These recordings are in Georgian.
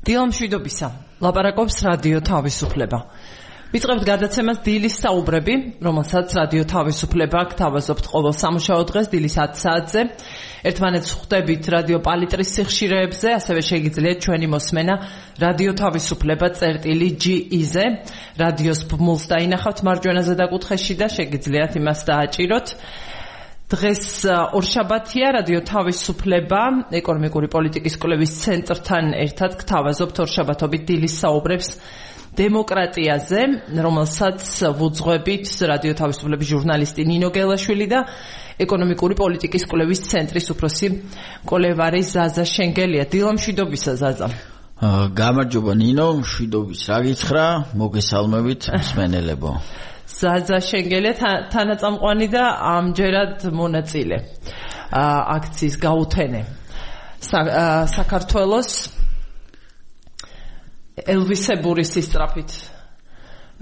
დილამშვიდობისა, ლაპარაკობს რადიო თავისუფლება. ვიწყებთ გადაცემას დილის საუბრები, რომელსაც რადიო თავისუფლება გთავაზობთ ყოველ სამუშაო დღეს დილის 10 საათზე. ერთმანეთს ხვდებით რადიო პალიტრის სიხშირეებზე, ასევე შეგიძლიათ ჩვენი მოსმენა რადიო თავისუფლება წერტილი.ge-ზე. რადიოს ბმულს დაინახავთ მარჯვენაზე დაკუთხეში და შეგიძლიათ იმას დააჭიროთ. დღეს ორშაბათია, რადიო თავისუფლება ეკონომიკური პოლიტიკის კვლევის ცენტრთან ერთად გთავაზობთ ორშაბათობით დილის საუბრებს დემოკრატიაზე, რომელსაც ვუძღვებით რადიო თავისუფლების ჟურნალისტი ნინო გელაშვილი და ეკონომიკური პოლიტიკის კვლევის ცენტრის უფროსი კოლევარი ზაზა შენგელია. დილამშვიდობისა ზაზა. გამარჯობა ნინო, მშვიდობის რა გითხრა, მოგესალმებით მსმენელებო. ზაზა შენგელია თანაწამყვანი და ამჯერად მონაწილე აქციის გაუთენე საქართველოს ელვისებური სისწრაფით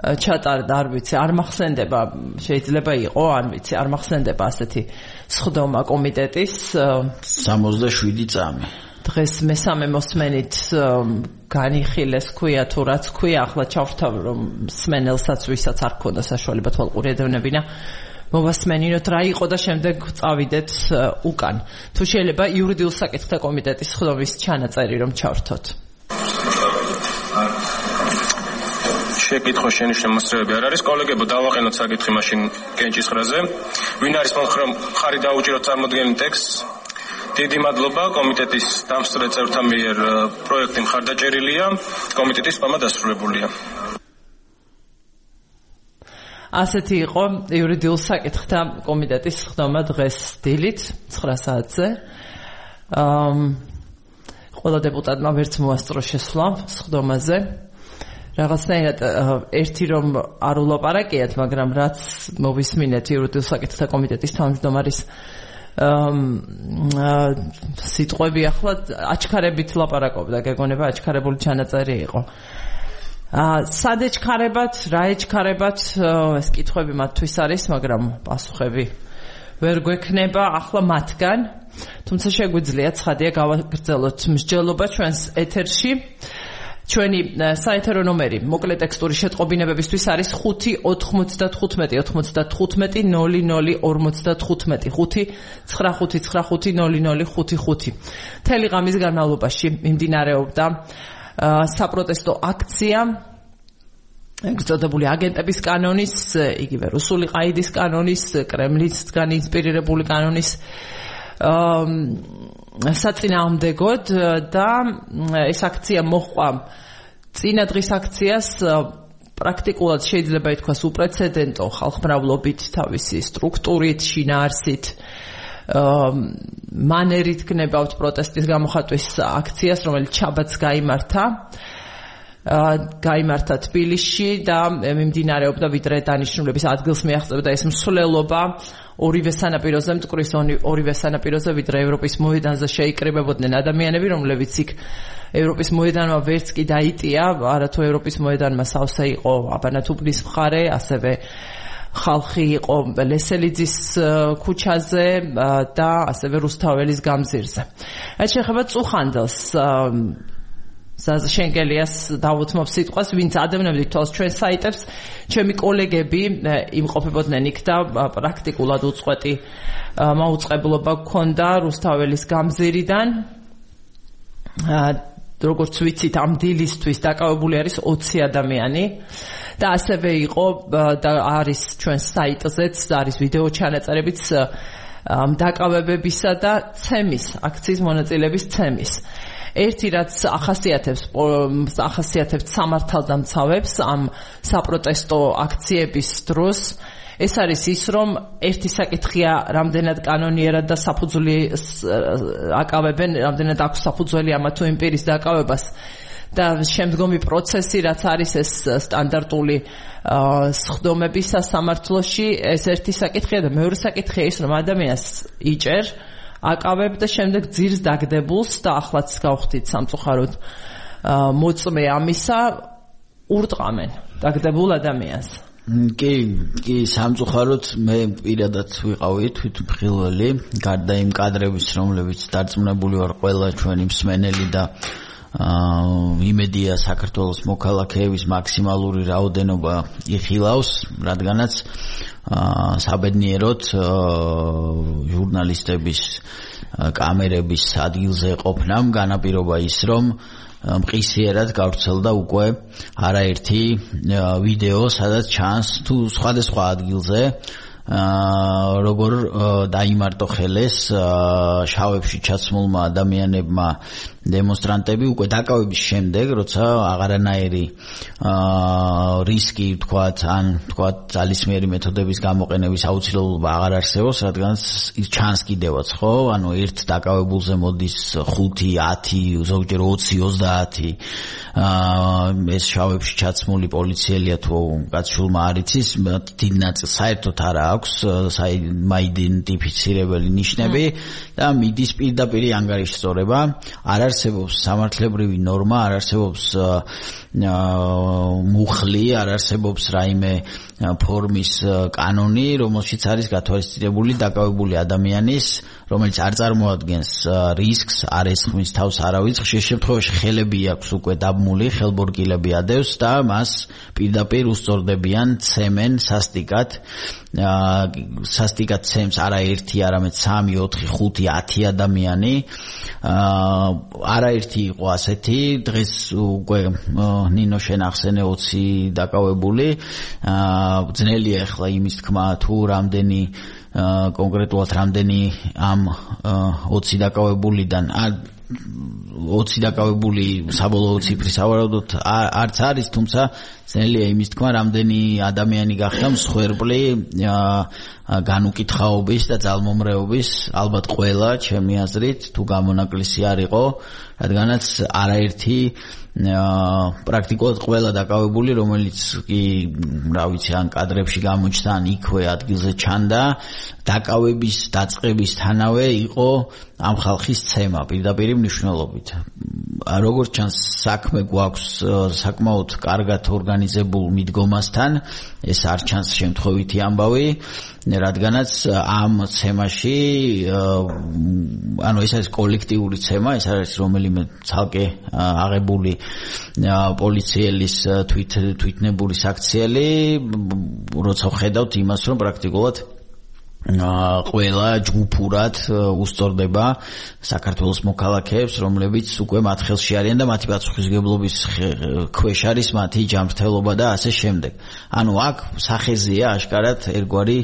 ჩატარდა, არ ვიცი, არ მახსენდება, შეიძლება იყო, არ ვიცი, არ მახსენდება ასეთი სხდომა კომიტეტის 67 წამი. დღეს მესამე მოსმენით განიხილეს ქვია თუ რაც ქვია, ახლა ჩავთავ რომ მსმენელსაც ვისაც არ ქონდა საშუალება თვალყური ედევნებინა მოვასმენინოთ რა იყო და შემდეგ წავიდეთ უკან. თუ შეიძლება იურიდიულ საკითხთა კომიტეტის სხდომის ჩანაწერი რომ ჩავრთოთ. შეკითხვა შენიშნე მოსწრებები არ არის. კოლეგებო, დავაყენოთ საკითხი მაშინ კენჭისყრაზე. ვინ არის მხარი დაუჭიროთ წარმოდგენილ ტექსტს? დიდი მადლობა. კომიტეტის დამსწრე წევრთა მიერ პროექტი მხარდაჭერილია, კომიტეტის სპამა დასრულებულია. ასეთი იყო იურიდიულ საკითხთა კომიტეტის სხდომა დღეს დილით 9 საათზე. ყველა დეპუტატმა ვერც მოასწრო შესვლა სხდომაზე. რაღაცნაირად ერთი რომ არ ულაპარაკიათ, მაგრამ რაც მოვისმინეთ იურიდიულ საკითხთა კომიტეტის თავმჯდომარის სიტყვები, ახლა აჩქარებით ლაპარაკობდა, გეგონება აჩქარებული ჩანაწერი იყო. სად ეჩქარებათ, რა ეჩქარებათ, ეს კითხვები მათთვის არის, მაგრამ პასუხები ვერ გვექნება ახლა მათგან. თუმცა შეგვიძლია ცხადია გავაგრძელოთ მსჯელობა ჩვენს ეთერში. ჩვენი საეთერო ნომერი მოკლე ტექსტური შეტყობინებებისთვის არის 5 95 95 00 55 5 95 0055. მთელი ღამის განმავლობაში მიმდინარეობდა საპროტესტო აქცია ეგწოდებული აგენტების კანონის, იგივე რუსული ყაიდის კანონის, კრემლისგან ინსპირირებული კანონის საწინააღმდეგოდ და ეს აქცია მოჰყვა წინა დღის აქციას პრაქტიკულად შეიძლება ითქვას უპრეცედენტო ხალხმრავლობით, თავისი სტრუქტურით, შინაარსით, მანერით გნებავთ პროტესტის გამოხატვის აქციას, რომელიც შაბათს გაიმართა თბილისში და მიმდინარეობდა ვიდრე დანიშნულების ადგილს მიაღწევდა ეს მსვლელობა ორივე სანაპიროზე, მტკვრის ორივე სანაპიროზე, ვიდრე ევროპის მოედანზე შეიკრიბებოდნენ ადამიანები, რომლებიც იქ ევროპის მოედანმა ვერც კი დაიტია, არათუ ევროპის მოედანმა სავსე იყო აბანათუბნის მხარე, ასევე ხალხი იყო ლესელიძის ქუჩაზე და ასევე რუსთაველის გამზირზე. რაც შეეხება წუხანდელს, ზაზა შენგელიას დავუთმობ სიტყვას, ვინც ადევნებდით თვალს ჩვენ საიტებს, ჩემი კოლეგები იმყოფებოდნენ იქ და პრაქტიკულად უწყვეტი მაუწყებლობა გქონდა რუსთაველის გამზირიდან. როგორც ვიცით, ამ დილისთვის დაკავებული არის 20 ადამიანი და ასევე იყო და არის ჩვენს საიტზეც, არის ვიდეო ჩანაწერებიც დაკავებებისა და ცემის, აქციის მონაწილეების ცემის. ერთი რაც ახასიათებს სამართალდამცავებს ამ საპროტესტო აქციების დროს, ეს არის ის, რომ ერთი საკითხია რამდენად კანონიერად და საფუძვლის აკავებენ, რამდენად აქვს საფუძველი ამა თუ იმ პირის დაკავებას და შემდგომი პროცესი, რაც არის ეს სტანდარტული სხდომები სასამართლოში, ეს ერთი საკითხია და მეორე საკითხია ის, რომ ადამიანს იჭერ აკავებ და შემდეგ ძირს დაგდებულს და ახლაც გავხდით სამწუხაროდ მოწმე ამისა ურტყამენ დაგდებულ ადამიანს. კი, სამწუხაროდ მე პირადად ვიყავი თვითმხილველი, გარდა იმ კადრების, რომლებიც დარწმუნებული ვარ ყველა ჩვენი მსმენელი და იმედია საქართველოს მოქალაქეების მაქსიმალური რაოდენობა იხილავს, რადგანაც საბედნიეროდ ჟურნალისტების კამერების ადგილზე ყოფნამ განაპირობა ის, რომ მყისიერად გავრცელდა უკვე არაერთი ვიდეო, სადაც ჩანს თუ სხვადასხვა ადგილზე როგორ დაიმარტო ხელეს შავებში ჩაცმულმა ადამიანებმა დემონსტრანტები უკვე დაკავების შემდეგ, როცა აღარანაირი რისკი ვთქვათ, ან ვთქვათ ძალისმიერი მეთოდების გამოყენების აუცილებლობა აღარ არსებობს, რადგანაც ჩანს კიდევაც, ხო? ანუ ერთ დაკავებულზე მოდის 5-10, ზოგჯერ 20-30 ეს შავებში ჩაცმული პოლიციელია თუ კაცშულმა არ იცის, დიდ ნაწილს საერთოდ არ აქვს მაიდენტიფიცირებელი ნიშნები და მიდის პირდაპირ ანგარიშსწორება. არ არსებობს სამართლებრივი ნორმა, არ არსებობს მუხლი, არ არსებობს რაიმე ფორმის კანონი, რომელშიც არის გათვალისწინებული დაკავებული ადამიანის, რომელიც არ წარმოადგენს რისკს, არ ესხმის თავს არავის, ხშირ შემთხვევაში ხელები აქვს უკვე დაბმული, ხელბორგილები ადევს და მას პირდაპირ უსწორდებიან, ცემენ სასტიკად. სასტიკად ცემს არა 1, არამედ 3, 4, 5, 10 ადამიანი. არაერთი იყო ასეთი, დღეს უკვე ნინო შენ ახსენე 20 დაკავებული. ძნელია ახლა იმის თქმა თუ რამდენი კონკრეტულად რამდენი ამ 20 დაკავებულიდან 20 დაკავებული საბოლოო ციფრი სავარაუდოდ არც არის, თუმცა ძნელია იმის თქმა რამდენი ადამიანი გახდა მსხვერპლი განუკითხაობის და ძალმომრეობის, ალბათ ყველა ჩემი აზრით თუ გამონაკლისი არ იყო, რადგანაც არაერთი პრაქტიკულად ყველა დაკავებული, რომელიც კი რა ვიცი ან კადრებში გამოჩნდა, ან იქვე ადგილზე ჩანდა, დაკავების დაწყებისთანავე იყო ამ ხალხის ცემა პირდაპირ მნიშვნელობით. როგორც ჩანს, საქმე გვაქვს საკმაოდ კარგად ორგანიზებულ მიდგომასთან, ეს არ ჩანს შემთხვევითი ამბავი, რადგანაც ამ ცემაში ანუ ეს არის კოლექტიური ცემა, ეს არის რომელიმე ცალკე აღებული პოლიციელის თვითნებური საქციელი, როცა ხედავთ იმას, რომ პრაქტიკულად ყველა ჯგუფურად უსწორდება საქართველოს მოქალაქეებს, რომლებიც უკვე მათ ხელში არიან და მათი პასუხისმგებლობის ქვეშ არის მათი ჯანმრთელობა და ასე შემდეგ. ანუ აქ სახეზეა აშკარად ერთგვარი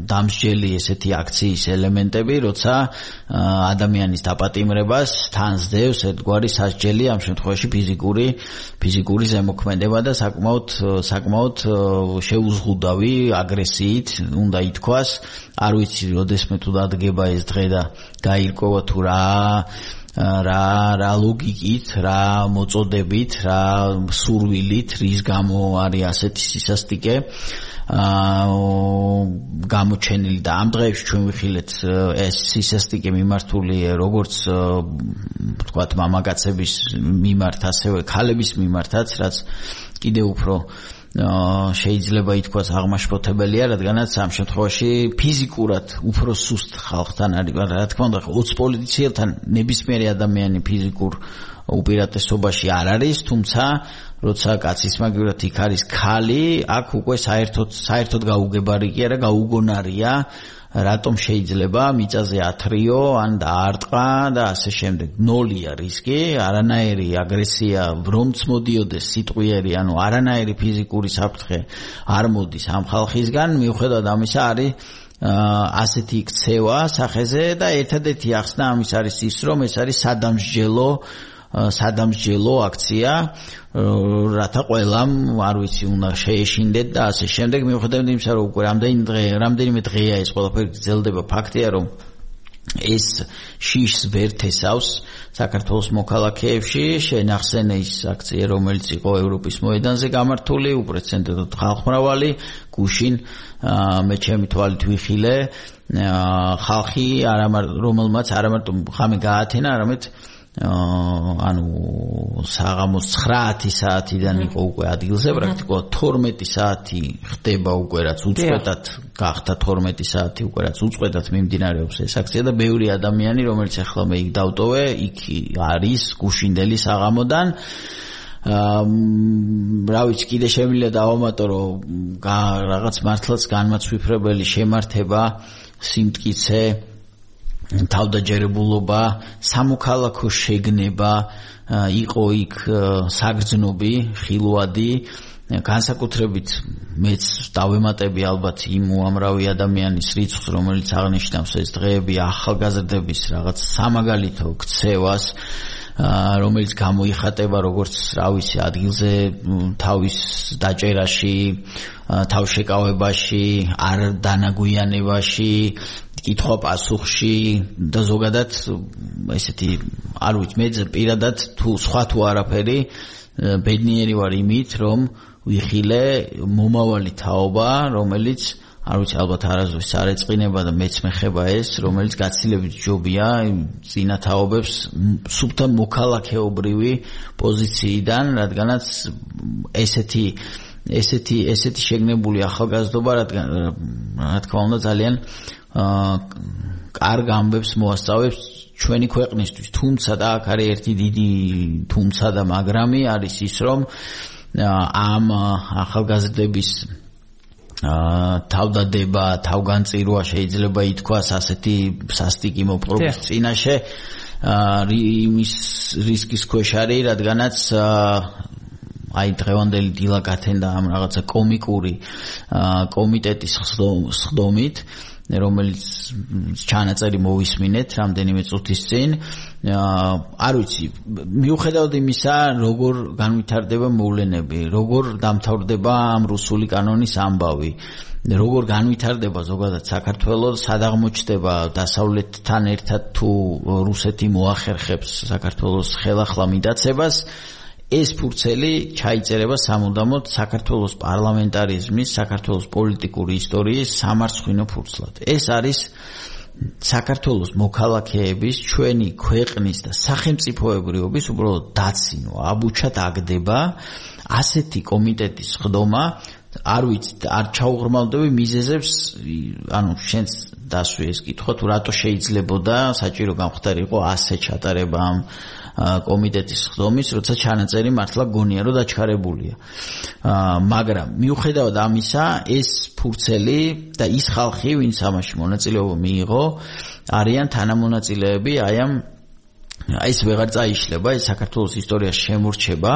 დამსჯელი ესეთი აქციის ელემენტები, როცა ადამიანის დაპატიმრებას თან სდევს ერთგვარი სასჯელი, ამ შემთხვევაში ფიზიკური ზემოქმედება და საკმაოდ შეუზღუდავი აგრესიით უნდა ითქვას. არ ვიცი, როდესმე თუ დადგება ეს დღე და გაირკვევა თუ რა ლოგიკით, რა მოწოდებით, რა სურვილით, რის გამო არის ასეთი სისასტიკე გამოჩენილი და ამ დღეებში ჩვენ ვიხილეთ ეს სისასტიკე მიმართული როგორც ვთქვათ მამაკაცების მიმართ, ასევე ქალების მიმართაც, რაც კიდევ უფრო შეიძლება ითქვას აღმაშფოთებელია, რადგანაც ამ შემთხვევაში ფიზიკურად უფრო სუსტ ხალხთან არის, რა თქმა უნდა 20 პოლიციელთან ნებისმიერი ადამიანი ფიზიკურ უპირატესობაში არ არის, თუმცა როცა კაცის მაგივრად იქ არის ქალი, აქ უკვე საერთოდ გაუგებარი კი არა, გაუგონარია, რატომ შეიძლება მიწაზე ათრიო ან დაარტყა და ასე შემდეგ. ნოლია რისკი, არანაირი აგრესია რომც მოდიოდეს სიტყვიერი, ანუ არანაირი ფიზიკური საფრთხე არ მოდის ამ ხალხისგან, მიუხედავად ამისა არის ასეთი ქცევა სახეზე და ერთადერთი ახსნა ამის არის ის, რომ ეს არის სადამსჯელო აქცია, რათა ყველამ არ ვიცი უნდა შეეშინდეთ და ასე შემდეგ. მიუხედავად იმისა, რომ უკვე რამდენიმე დღეა ეს ყველაფერი გრძელდება, ფაქტია, რომ ეს შიშს ვერ თესავს საქართველოს მოქალაქეებში. შენახსენე ის აქცია, რომელიც იყო ევროპის მოედანზე გამართული, უპრეცედენტოდ ხალხმრავალი, გუშინ მე ჩემი თვალით ვიხილე ხალხი, რომელმაც არა მარტო ხამე გაათენა, არამედ ანუ საღამოს 9 საათიდან იყო უკვე ადგილზე, პრაქტიკულად 12 საათი ხდება უკვე რაც უწყვეტად გახდა 12 საათი უკვე რაც უწყვეტად მიმდინარეობს ეს აქცია და ბევრი ადამიანი რომელიც ახლა მე იქ დავტოვე, იქ არის გუშინდელი საღამოდან. რა ვიცი, კიდე შემიძლია დავამატო, რომ რაღაც მართლაც განმაცვიფრებელი შემართება, სიმტკიცე, თავდაჯერებულობა, სამოქალაქო შეგნება იყო იქ საგრძნობი, ხილვადი, განსაკუთრებით მეც დავემატები ალბათ იმ უამრავი ადამიანის რიცხვს, რომელიც აღნიშნავს ეს დღეები ახალგაზრდების რაღაც სამაგალითო ქცევას, რომელიც გამოიხატება როგორც რა ვიცი ადგილზე თავის დაჭერაში, თავშეკავებაში, არ დანაგვიანებაში, კითხვა-პასუხში და ზოგადად ესეთი არ ვიცი მე პირადად თუ სხვა თუ არაფერი ბედნიერი ვარ იმით რომ ვიხილე მომავალი თაობა რომელიც არ ვიცი ალბათ არასდროს არ ეწყინება და მეც მეხება ეს რომელიც გაცილებით ჯობია წინა თაობებს სუფთა მოქალაქეობრივი პოზიციიდან რადგანაც ესეთი შეგნებული ახალგაზრდობა რა თქმა უნდა ძალიან კარგ ამბებს მოასწავებს ჩვენი ქვეყნისთვის, თუმცა და აქ არის ერთი დიდი თუმცა და მაგრამი არის ის რომ ამ ახალგაზრდების თავდადება, თავგანწირვა შეიძლება ითქვას ასეთი სასტიკი მოპყრობის წინაშე იმის რისკის ქვეშ არის, რადგანაც აი დღევანდელი დილა გათენდა ამ რაღაცა კომიკური კომიტეტის სხდომით რომელიც ჩანაწერი მოვისმინეთ რამდენიმე წუთის წინ არ ვიცი მიუხედავად იმისა როგორ განვითარდება მოვლენები როგორ დამთავრდება ამ რუსული კანონის ამბავი როგორ განვითარდება ზოგადად საქართველოს სად აღმოჩნდება დასავლეთთან ერთად თუ რუსეთი მოახერხებს საქართველოს ხელახლა მიდაცებას ეს ფურცელი ჩაიწერება სამუდამოდ საქართველოს პარლამენტარიზმის, საქართველოს პოლიტიკური ისტორიის სამარცხვინო ფურცლად. ეს არის საქართველოს მოქალაქეების, ჩვენი ქვეყნის და სახელმწიფოებრიობის უბრალოდ დაცინო, აბუჩად აგდება ასეთი კომიტეტის ხდომა, არ ვიცი, არ ჩაუღრმავდები მიზეზებს, ანუ შენს დასვი ეს კითხვა, თუ რატო შეიძლებოდა საჭირო გამხდარიყო ასე ჩატარება ამ კომიტეტის ხდომის, როცა ჩანაწერი მართლა გონია რომ დაჩქარებულია. მაგრამ მიუხედავად ამისა, ეს ფურცელი და ის ხალხი, ვინც ამაში მონაწილეობა მიიღო, არიან თანამონაწილეები აი ამ ეს ვეღარ წაიშლება, ეს საქართველოს ისტორიაში შემორჩება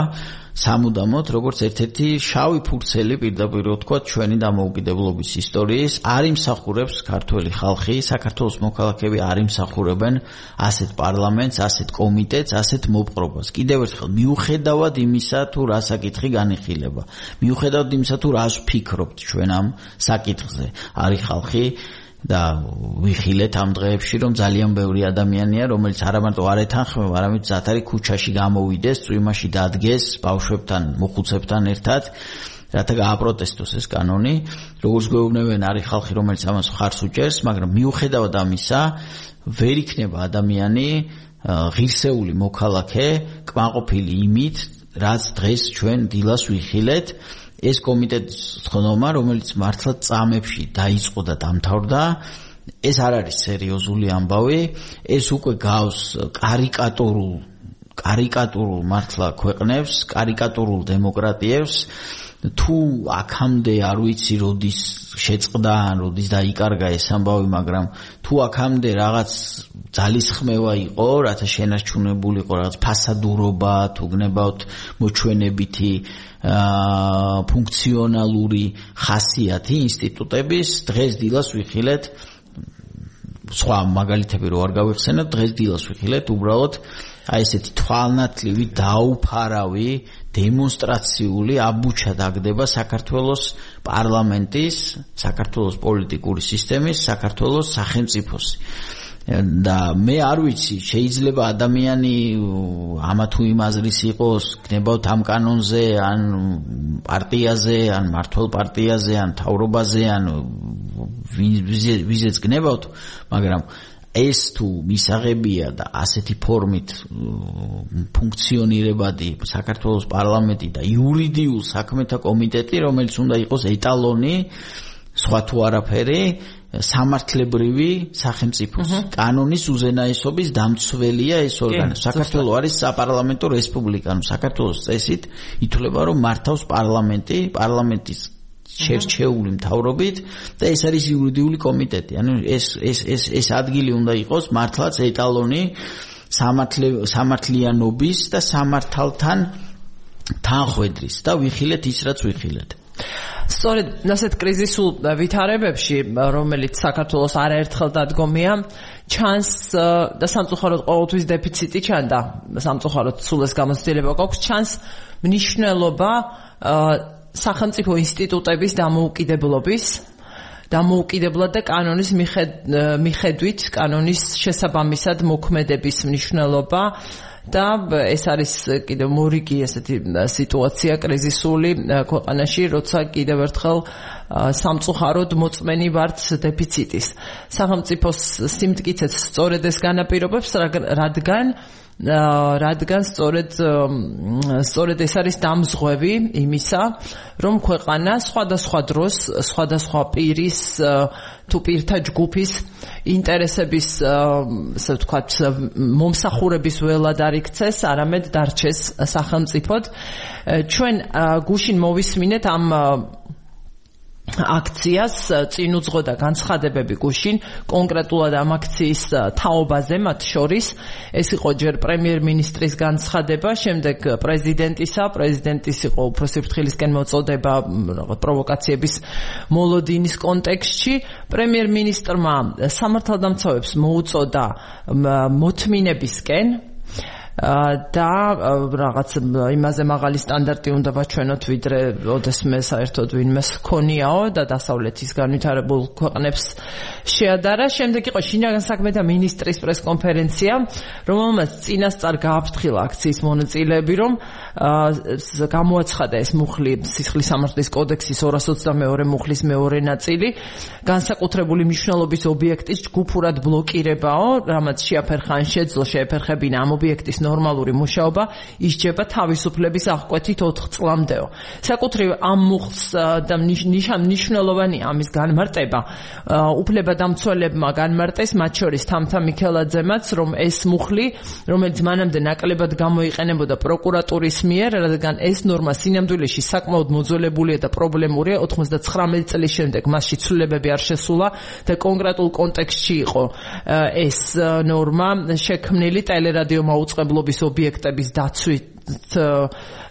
სამუდამოდ, როგორც ერთ-ერთი შავი ფურცელი პირდაპირ ვთქვათ ჩვენი დამოუკიდებლობის ისტორიის, არ იმსახურებს ქართველი ხალხი, საქართველოს მოქალაქეები არ იმსახურებენ ასეთ პარლამენტს, ასეთ კომიტეტს, ასეთ მოპყრობას. კიდევ ერთხელ, მიუხედავად იმისა, თუ რა საკითხი განიხილება, მიუხედავად იმისა, თუ რას ვფიქრობთ ჩვენ ამ საკითხზე, არის ხალხი და ვიხილეთ ამ დღეებში რომ ძალიან ბევრი ადამიანია რომელიც არამარტო არ ეთანხმება, არამედ ზათარი ქუჩაში გამოვიდეს, წვიმაში დადგეს ბავშვებთან, მოხუცებთან ერთად, რათა გააპროტესტოს ეს კანონი. როგორც გვეუბნებიან, არის ხალხი რომელიც ამას მხარს უჭერს, მაგრამ მიუხედავად ამისა, ვერ იქნება ადამიანი ღირსეული მოქალაქე, კმაყოფილი იმით, რაც დღეს ჩვენ დილას ვიხილეთ. ეს კომიტეტის ხდომა, რომელიც მართლა წამებში დაიწყო და დამთავრდა, ეს არ არის სერიოზული ამბავი, ეს უკვე გავს კარიკატურულ მართლა ქვეყნებს, კარიკატურულ დემოკრატიებს, თუ აქამდე არ ვიცი როდის შეწყდა, როდის დაიკარგა ეს ამბავი, მაგრამ თუ აქამდე რაღაც ძალისხმევა იყო, რათა შენარჩუნებულიყო რაღაც ფასადურობა, თუ გნებავთ მოჩვენებითი ფუნქციონალური ხასიათი ინსტიტუტების, დღეს დილას ვიხილეთ სხვა მაგალითები რო არ გავიხსენებ, დღეს დილას ვიხილეთ უბრალოდ აი ესეთი თვალნათლივი დაუფარავი დემონსტრაციული აბუჩა დაგდება საქართველოს პარლამენტის, საქართველოს პოლიტიკური სისტემის, საქართველოს სახელმწიფოს. და მე არ ვიცი, შეიძლება ადამიანი ამა თუ იმ აზრის იყოს, გნებავთ ამ კანონზე, ან პარტიაზე, ან მართლ პარტიაზე, ან თავრობაზე, ან ვიზეც გნებავთ, მაგრამ ეს თუ მისაღებია და ასეთი ფორმით ფუნქციონირებადი საქართველოს პარლამენტი და იურიდიულ საქმეთა კომიტეტი, რომელიც უნდა იყოს ეტალონი, სხვა თუ არაფერი, სამართლებრივი სახელმწიფოს კანონის უზენაესობის დამცველია ეს ორგანო. საქართველოს არის საპარლამენტო რესპუბლიკა, საქართველოს წესით ითვლება, რომ მართავს პარლამენტი, პარლამენტის შერჩეული მთავრობით და ეს არის იურიდიული კომიტეტი. ანუ ეს ადგილი უნდა იყოს მართლაც ეტალონი სამართლიანობის და სამართალთან თანხვედრის და ვიხილეთ ის რაც ვიხილეთ. სწორედ ასეთ კრიზისულ ვითარებებში, რომელიც საქართველოს არაერთხელ დადგომია, ჩანს და სამწუხაროდ ყოველთვის დეფიციტი ჩანდა, სამწუხაროდ სულ ეს გამოცდილება გვაქვს, ჩანს მნიშვნელობა სახელმწიფო ინსტიტუტების დამოუკიდებლად და კანონის მიხედვით, კანონის შესაბამისად მოქმედების მნიშვნელობა და ეს არის კიდევ მორიგი ესეთი სიტუაცია კრიზისული ქვეყანაში, როცა კიდევ ერთხელ სამწუხაროდ მოწმენი ვართ დეფიციტის. სახელმწიფოს სიმტკიცეც სწორედ ეს განაპირობებს, რადგან სწორედ ეს არის დამზღვევი იმისა, რომ ქვეყანა სხვადასხვა დროს, სხვადასხვა პირის თუ პირთა ჯგუფის ინტერესების, ასე ვთქვათ, მომსახურების ველად არ იქცეს, არამედ დარჩეს სახელმწიფოდ. ჩვენ გუშინ მოვისმინეთ ამ აქციას, წინ უძღოდა განცხადებები გუშინ კონკრეტულად ამ აქციის თაობაზე, მათ შორის ეს იყო ჯერ პრემიერ-მინისტრის განცხადება, შემდეგ პრეზიდენტის იყო უფროსი ფრთხილისკენ მოწოდება პროვოკაციების მოლოდინის კონტექსტში. პრემიერ-მინისტრმა სამართალდამცავებს მოუწოდა მოთმინებისკენ და რაღაც იმაზე მაღალი სტანდარტი უნდა ვაჩვენოთ, ვიდრე ოდესმე საერთოდ ვინმეს ჰქონიაო და დასავლეთის განვითარებულ ქვეყნებს შეადარა. შემდეგ იყო შინაგან საქმეთა მინისტრის პრესკონფერენცია, რომელმაც წინასწარ გააფრთხილა აქციის მონაწილეები, რომ გამოაცხადა ეს მუხლი სისხლის სამართლის კოდექსის 222 მუხლის მეორე ნაწილი განსაკუთრებული მნიშვნელობის ობიექტის ჯგუფურად ბლოკირებაო, რამაც შეაფერხა ან შეძლო შეეფერხებინა ამ ობიექტის ნორმალური მუშაობა, ისჯება თავისუფლების აღკვეთით 4 წლამდეო. საკუთრივ ამ მუხლს და მნიშვნელოვანია ამის განმარტება. უფლებადამცველებმა განმარტეს, მათ შორის თამთა მიქელაძემაც, რომ ეს მუხლი, რომელიც მანამდე ნაკლებად გამოიყენებოდა პროკურატურის მიერ, რადგან ეს ნორმა სინამდვილეში საკმაოდ მოძველებულია და პრობლემურია, 99 წლის შემდეგ მასში ცვლილებები არ შესულა და კონკრეტულ კონტექსტში იყო ეს ნორმა შექმნილი ტელერადიო მაუწყებლობის ობიექტების დაცვით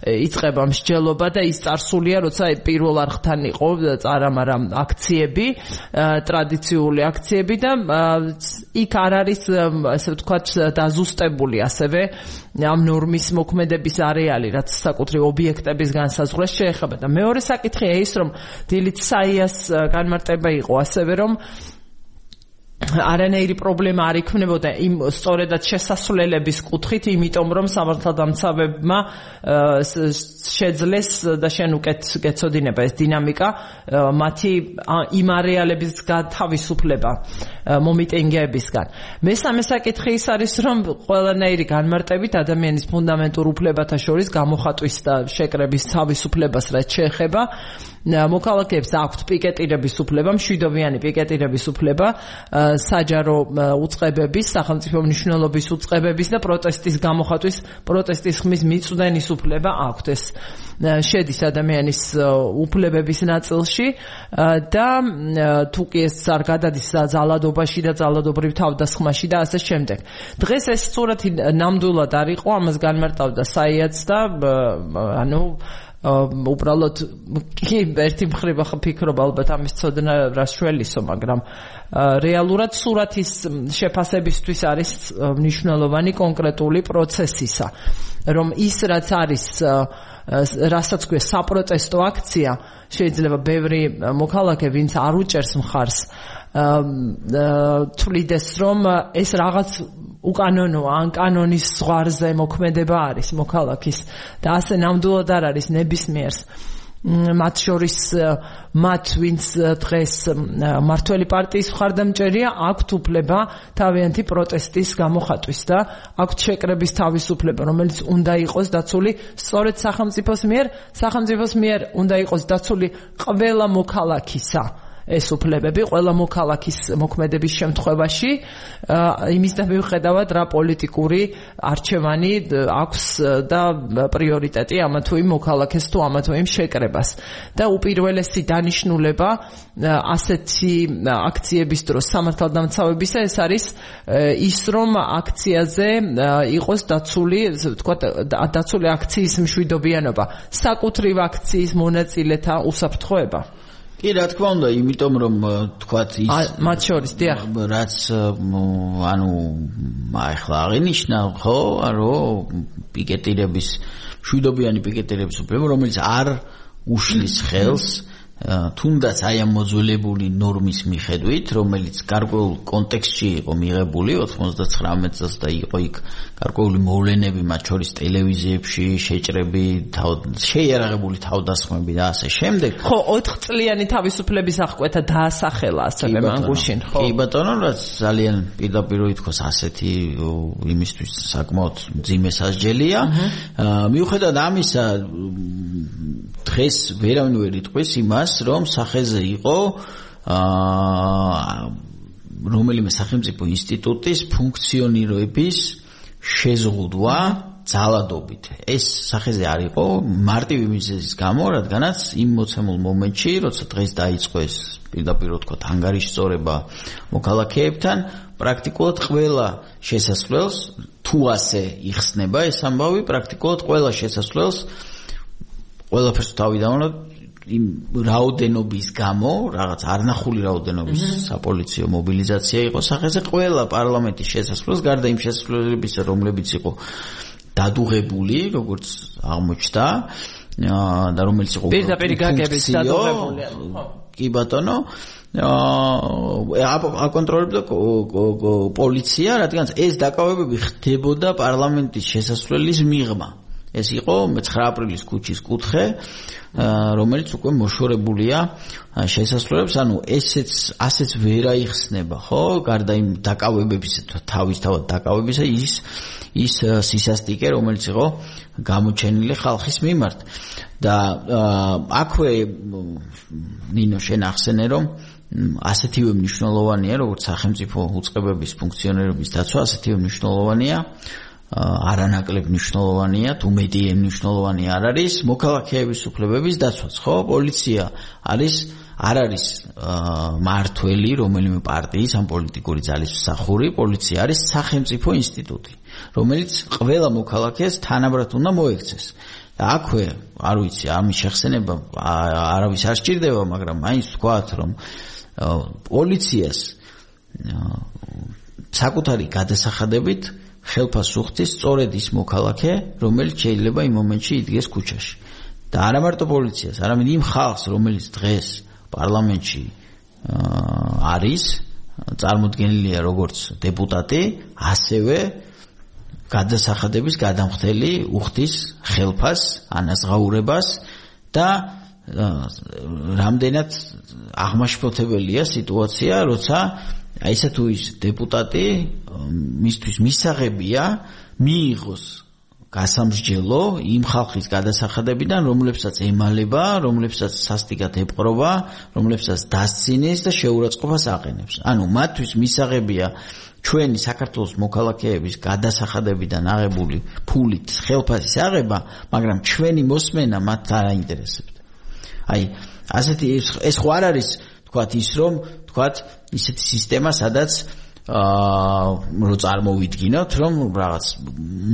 იწყება მსჯელობა და ის წარსულია, როცა პირველ არხთან იყო წარამარა აქციები, ტრადიციული აქციები და იქ არ არის, ასე ვთქვათ, დაზუსტებული ასევე ამ ნორმის მოქმედების არეალი, რაც საკუთრივ ობიექტების განსაზღვრას შეეხება. და მეორე საკითხია ის, რომ დილით საიას განმარტება იყო ასევე, რომ არანაირი პრობლემა არ იქნებოდა იმ სწორედად შესასვლელების კუთხით, იმიტომ რომ სამართალდამცავებმა შეძლეს და შენ უკეთ გეცოდინება ეს დინამიკა, მათი იმ არეალების გათავისუფლება მომიტინგეებისგან. მესამე საკითხი ის არის, რომ ყველანაირი განმარტებით ადამიანის ფუნდამენტურ უფლებათა შორის გამოხატვის და შეკრების თავისუფლებას რაც შეეხება, მოქალაქეებს აქვთ პიკეტირების უფლება, მშვიდობიანი პიკეტირების უფლება, საჯარო უწყებების, სახელმწიფო მნიშვნელობის უწყებების და პროტესტის გამოხატვის, პროტესტის ხმის მიწვდენის უფლება აქვთ. ეს შედის ადამიანის უფლებების ნაწილში და თუ კი ეს არ გადადის ძალადობაში და ძალადობრივ თავდასხმაში და ასე შემდეგ. დღეს ეს სურათი ნამდვილად არ იყო, ამას განმარტავდა საიაც და ანუ უბრალოდ კი ერთი მხრივ ახლა ფიქრობ ალბათ ამის ცოდნა რას შველისო, მაგრამ რეალურად სურათის შეფასებისთვის არის მნიშვნელოვანი კონკრეტული პროცესისა, რომ ის რაც არის, რასაც ქვია საპროტესტო აქცია, შეიძლება ბევრი მოქალაქე, ვინც არ უჭერს მხარს, თვლიდეს, რომ ეს რაღაც უკანონოა, ან კანონის ზღვარზე მოქმედება არის მოქალაქის და ასე ნამდვილად არ არის ნებისმიერს. მათ შორის მათ ვინც დღეს მართველი პარტიის მხარდამჭერია აქვთ უფლება თავიანთი პროტესტის გამოხატვის და აქვთ შეკრების თავისუფლება, რომელიც უნდა იყოს დაცული სწორედ სახელმწიფოს მიერ უნდა იყოს დაცული ყველა მოქალაქისა ეს უფლებები, ყველა მოქალაქის მოქმედების შემთხვევაში, იმისთან მიუხედავად რა პოლიტიკური არჩევანი აქვს და პრიორიტეტი ამა თუ იმ მოქალაქეს თუ ამა თუ იმ შეკრებას. და უპირველესი დანიშნულება ასეთი აქციების დროს სამართალდამცავებისა ეს არის ის, რომ აქციაზე იყოს დაცული აქციის მშვიდობიანობა, საკუთრივ აქციის მონაწილეთა უსაფრთხოება. კი, რა თქმა უნდა, იმიტომ რომ თქვათ ის მათ შორის რაც ახლა აღინიშნა, ხო, რომ პიკეტირების მშვიდობიანი პიკეტირების უფლება, რომელიც არ უშლის ხელს თუნდაც აი ამ მოძველებული ნორმის მიხედვით, რომელიც გარკვეულ კონტექსტში იყო მიღებული 99 წელს და იყო იქ გარკვეული მოვლენები, მათ შორის ტელევიზიებში შეჭრები, შეიარაღებული თავდასხმები და ასე შემდეგ. ხო, 4 წლიანი თავისუფლების აღკვეთა დაასახელა ასევე მანგუშინ, ხო? კი ბატონო, რაც ძალიან პირდაპირ ითქოს ასეთი იმისთვის საკმაოდ მძიმე სასჯელია. მიუხედავად ამისა, დღეს ვერავინ ვერ იტყვის იმას, რომ სახეზე იყო რომელიმე სახელმწიფო ინსტიტუტის ფუნქციონირების შეზღუდვა ძალადობით. ეს სახეზე არ იყო მარტივი მიზეზის გამო, რადგანაც იმ მოცემულ მომენტში, როცა დღეს დაიწყო ეს პირდაპირ ვთქვათ ანგარიშწორება მოქალაქეებთან, პრაქტიკულად ყველა შესასვლელს თუ ასე იხსნება ეს ამბავი, პრაქტიკულად ყველა შესასვლელს ყველაფერს თავი დავანოთ იმ რაოდენობის გამო, რაღაც არნახული რაოდენობის საპოლიციო მობილიზაცია იყო სახეზე, ყველა პარლამენტის შესასვლელს, გარდა იმ შესასვლელებისა, რომლებიც იყო დადუღებული, როგორც აღმოჩნდა, და რომელიც იყო პირდაპირ გაგების დადუღებული. კი ბატონო, აკონტროლებდა პოლიცია, რადგან ეს დაკავებები ხდებოდა პარლამენტის შესასვლელის მიღმა. ეს იყო 9 აპრილის ქუჩის კუთხე, რომელიც უკვე მოშორებულია შესასვლელებს, ანუ ასეც ვერ აიხსნება, ხო? გარდა იმ დაკავებებისა, თავისთავად დაკავებისა, ის სისასტიკე, რომელიც იყო გამოჩენილი ხალხის მიმართ. და აქვე ნინო შენ ახსენე, რომ ასეთივე მნიშვნელოვანია, როგორც სახელმწიფო უწყებების ფუნქციონირების დაცვა, ასეთივე მნიშვნელოვანია არანაკლებ მნიშვნელოვანია, თუ მეტი მნიშვნელოვანი არ არის მოქალაქეების უფლებების დაცვაც, ხო? პოლიცია არ არის მართველი რომელიმე პარტიის ან პოლიტიკური ძალის მსახური, პოლიცია არის სახელმწიფო ინსტიტუტი, რომელიც ყველა მოქალაქეს თანაბრად უნდა მოექცეს. და აქვე, არ ვიცი, ამის შეხსენება არავის არ სჭირდება, მაგრამ მაინც ვთქვათ, რომ პოლიციას საკუთარი გადასახადებით ხელფას უხდის სწორედ ის მოქალაქე, რომელიც შეიძლება იმ მომენტში იდგეს ქუჩაში. და არა მარტო პოლიციას, არამედ იმ ხალხს, რომელიც დღეს პარლამენტში არის, წარმოდგენილია როგორც დეპუტატი, ასევე გადასახადების გადამხდელი უხდის ხელფას, ანაზღაურებას და რამდენად აღმაშფოთებელია სიტუაცია, როცა აი ესა თუ ის დეპუტატი მისთვის მისაღებია მიიღოს გასამსჯელო იმ ხალხის გადასახადებიდან, რომლებსაც ემალება, რომლებსაც სასტიკად ეპყრობა, რომლებსაც დასცინის და შეურაცხყოფას აყენებს. ანუ მათთვის მისაღებია ჩვენი საქართველოს მოქალაქეების გადასახადებიდან აღებული ფულით ხელფასის აღება, მაგრამ ჩვენი მოსმენა მათ არ აინტერესებთ. აი, ასეთი ეს ხო არ არის, თქვათ ის რომ, თქვათ ისეთი სისტემა, სადაც რო წარმოვიდგინოთ, რომ რაღაც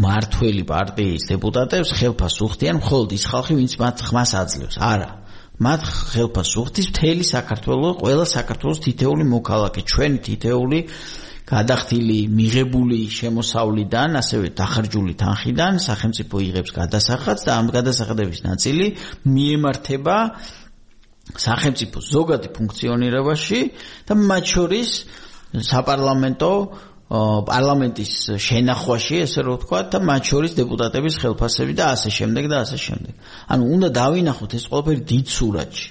მართველი პარტიის დეპუტატებს ხელფას უხდიან მხოლოდ ის ხალხი, ვინც მათ ხმას აძლევს. არა. მათ ხელფას უხდის მთელი საქართველოს, ყველა საქართველოს თითეული მოქალაქე, ჩვენი თითეული გადახდილი მიღებული შემოსავლიდან, ასევე დახარჯული თანხიდან სახელმწიფო იღებს გადასახადს და ამ გადასახადების ნაწილი მიემართება სახელმწიფოს ზოგადი ფუნქციონირებაში და მათ შორის საპარლამენტო პარლამენტის შენახვაში, ესე რომ ვთქვა, და მათ შორის დეპუტატების ხელფასები და ასე შემდეგ და ასე შემდეგ. ანუ უნდა დავინახოთ ეს ყველაფერი დიდ სურათში.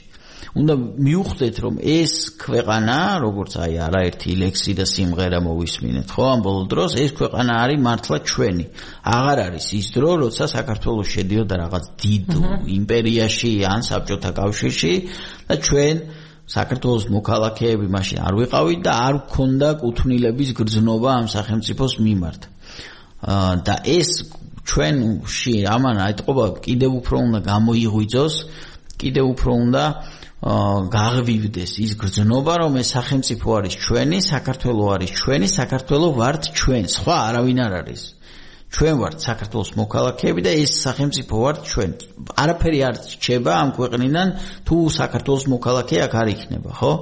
უნდა მივხვდეთ, რომ ეს ქვეყანა, როგორც არაერთი ლექსი და სიმღერა მოვისმინეთ, ხო, ამ ბოლო დროს ეს ქვეყანა არის მართლა ჩვენი. აღარ არის ის დრო, როცა საქართველოს შედიოდა რაღაც დიდ იმპერიაში ან საბჭოთა კავშირში და ჩვენ საქართველოს მოქალაქეები მაშინ არ ვიყავით და არ გქონდა კუთვნილების გრძნობა ამ სახელმწიფოს მიმართ. და ეს ჩვენში ამან აიტყობა კიდევ უფრო უნდა გამოიღვიძოს, კიდევ უფრო უნდა გაღვივდეს ის გრძნობა, რომ ეს სახელმწიფო არის ჩვენი, საქართველო არის ჩვენი, საქართველო ვართ ჩვენ, სხვა არავინ არ არის. ჩვენ ვართ საქართველოს მოქალაქეები და ეს სახელმწიფო ვართ ჩვენ. არაფერი არ რჩება ამ ქვეყნიდან თუ საქართველოს მოქალაქე აქ არ იქნება, ხო?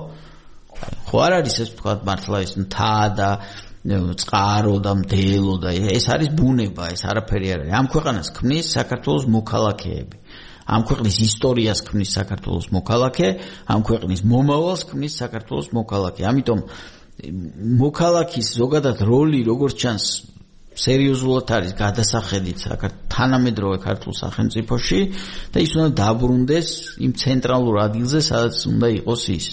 ხო არ არის ეს თქვა მართლა ეს მთა და წყარო და მდელო და ეს არის ბუნება, ეს არაფერი არ არის. ამ ქვეყანას ქმნის საქართველოს მოქალაქეები. ამ ქვეყნის ისტორიას ქმნის საქართველოს მოქალაქე, ამ ქვეყნის მომავალს ქმნის საქართველოს მოქალაქე. ამიტომ მოქალაქის ზოგადად როლი როგორც ჩანს სერიოზულად არის გადასახედით თანამედროვე ქართულ სახელმწიფოში და ის უნდა დაბრუნდეს იმ ცენტრალურ ადგილზე, სადაც უნდა იყოს ის.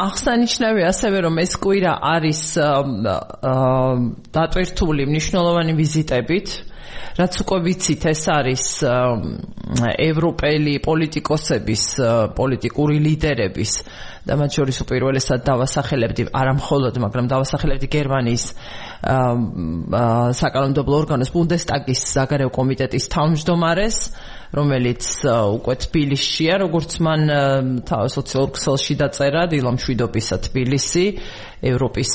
აღსანიშნავია ასევე, რომ ეს კვირა არის დატვირთული მნიშვნელოვანი ვიზიტებით, რაც უკვე ვიცით, ეს არის ევროპელი პოლიტიკოსების, პოლიტიკური ლიდერების და მათ შორის უპირველესად დავასახელებდი, არა მხოლოდ, მაგრამ დავასახელებდი გერმანიის საკანონმდებლო ორგანოს ბუნდესტაგის საგარეო კომიტეტის თავმჯდომარეს, რომელიც უკვე თბილისშია, როგორც მან სოციალურ ქსელში დაწერა, დილამშვიდობისა თბილისი, ევროპის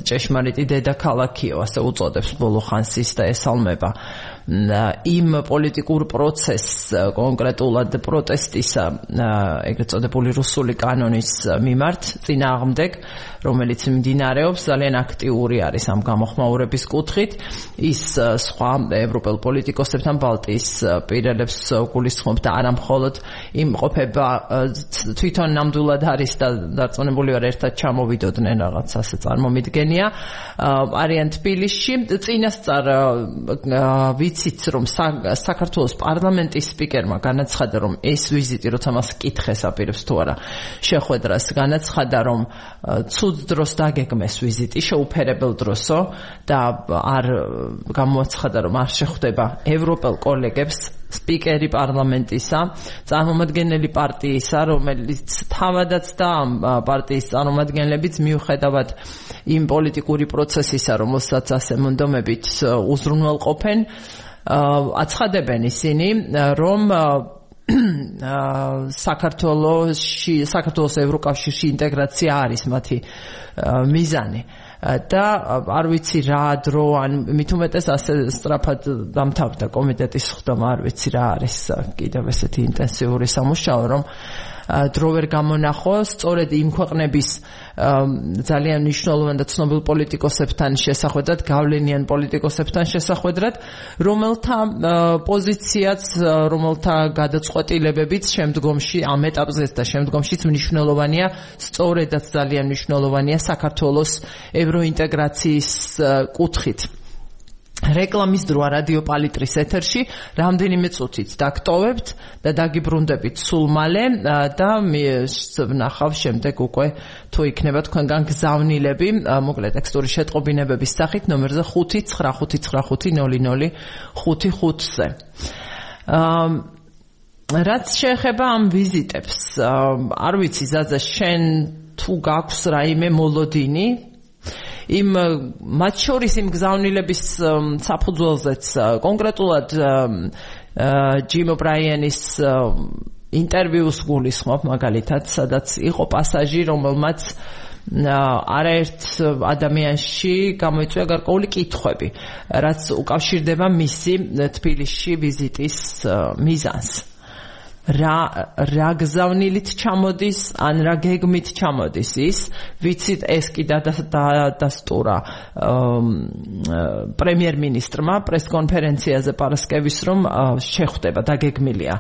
ჭეშმარიტი დედაქალაქიო, ასე უწოდებს ბოლო ხანს ის და ესალმება იმ პოლიტიკურ პროცესს, კონკრეტულად პროტესტისა, ეგრეთ წოდებული რუსული კანონის მიმართ წინააღმდეგ, რომელიც მიმდინარეობს, ძალიან აქტიური არის ამ გამოხმაურების კუთხით. ის სხვა ევროპელ პოლიტიკოსებთან ბალტიის პირებს გულისხმობს და არა მხოლოდ იმყოფება თვითონ ნამდვილად არის და დარწმუნებული ვარ ერთად ჩამოვიდოდნენ რაღაც ასე წარმომიდგენია, არიან თბილისში. წინასწარ ვიცით, რომ საქართველოს პარლამენტის სპიკერმა განაცხადა, რომ ეს ვიზიტი, როცა მას კითხეს აპირებს თუ არა შეხვედრას, განაცხადა, რომ ცუდ დროს დაგეგმეს ვიზიტი, შეუფერებელ დროსო და არ გამოაცხადა, რომ არ შეხვდება ევროპელ კოლეგებს სპიკერი პარლამენტისა, წარმომადგენელი პარტიისა, რომელიც თავადაც და ამ პარტიის წარმომადგენლებიც მიუხედავად იმ პოლიტიკური პროცესისა, რომელსაც ასე მონდომებით უზრუნველყოფენ, აცხადებენ ისინი, რომ საქართველოს ევროკავშირში ინტეგრაცია არის მათი მიზანი. და არ ვიცი რა დრო, ან მით უმეტეს ასე სწრაფად დამთავრდა კომიტეტის ხდომა, არ ვიცი რა არის კიდევ ესეთი ინტენსიური სამუშაო, რომ დრო ვერ გამონახო, სწორედ იმ ქვეყნების ძალიან მნიშვნელოვან და ცნობილ პოლიტიკოსებთან შესახვედრად, გავლენიან პოლიტიკოსებთან შესახვედრად, რომელთა პოზიციაც, რომელთა გადაწყვეტილებებიც შემდგომში ამ ეტაპზეც და შემდგომშიც მნიშვნელოვანია, სწორედაც ძალიან მნიშვნელოვანია საქართველოს ევროინტეგრაციის კუთხით. რეკლამის დროა რადიო პალიტრის ეთერში, რამდენიმე წუთით დაგტოვებთ და დაგიბრუნდებით სულ მალე და ვნახავ შემდეგ უკვე თუ იქნება თქვენგან გზავნილები, მოკლე ტექსტური შეტყობინებების სახით ნომერზე 595500555-ზე. რაც შეეხება ამ ვიზიტებს, არ ვიცი ზაზა, შენ თუ გაქვს რაიმე მოლოდინი იმ მათ შორის იმ გზავნილების საფუძველზეც, კონკრეტულად ჯიმ ობრაიანის ინტერვიუს გულისხმობ მაგალითად, სადაც იყო პასაჟი, რომელმაც არაერთ ადამიანში გამოიწვია გარკვეული კითხვები, რაც უკავშირდება მისი თბილისში ვიზიტის მიზანს. რა გზავნილით ჩამოდის ან რა გეგმით ჩამოდის ის ვიცით ეს კი დადასტურა პრემიერ-მინისტრმა პრეს-კონფერენციაზე პარასკევის რომ შეხვდება დაგეგმილია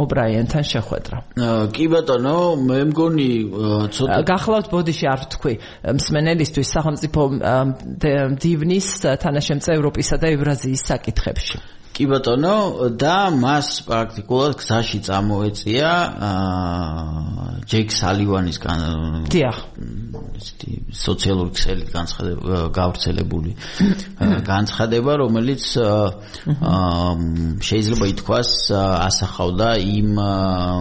ობრაიანთან შეხვედრა კი ბატონო მე მგონი ცოტა გახლავთ ბოდიში არ ვთქვი მსმენელისთვის სახელმწიფო დივნის თანაშემწე ევროპისა და ევრაზიის საკითხებში კი ბატონო და მას პრაქტიკულად გზაში წამოეწია ჯეკ სალივანის სოციალური ქსელით გავრცელებული განცხადება რომელიც შეიძლება ითქვას ასახავდა იმ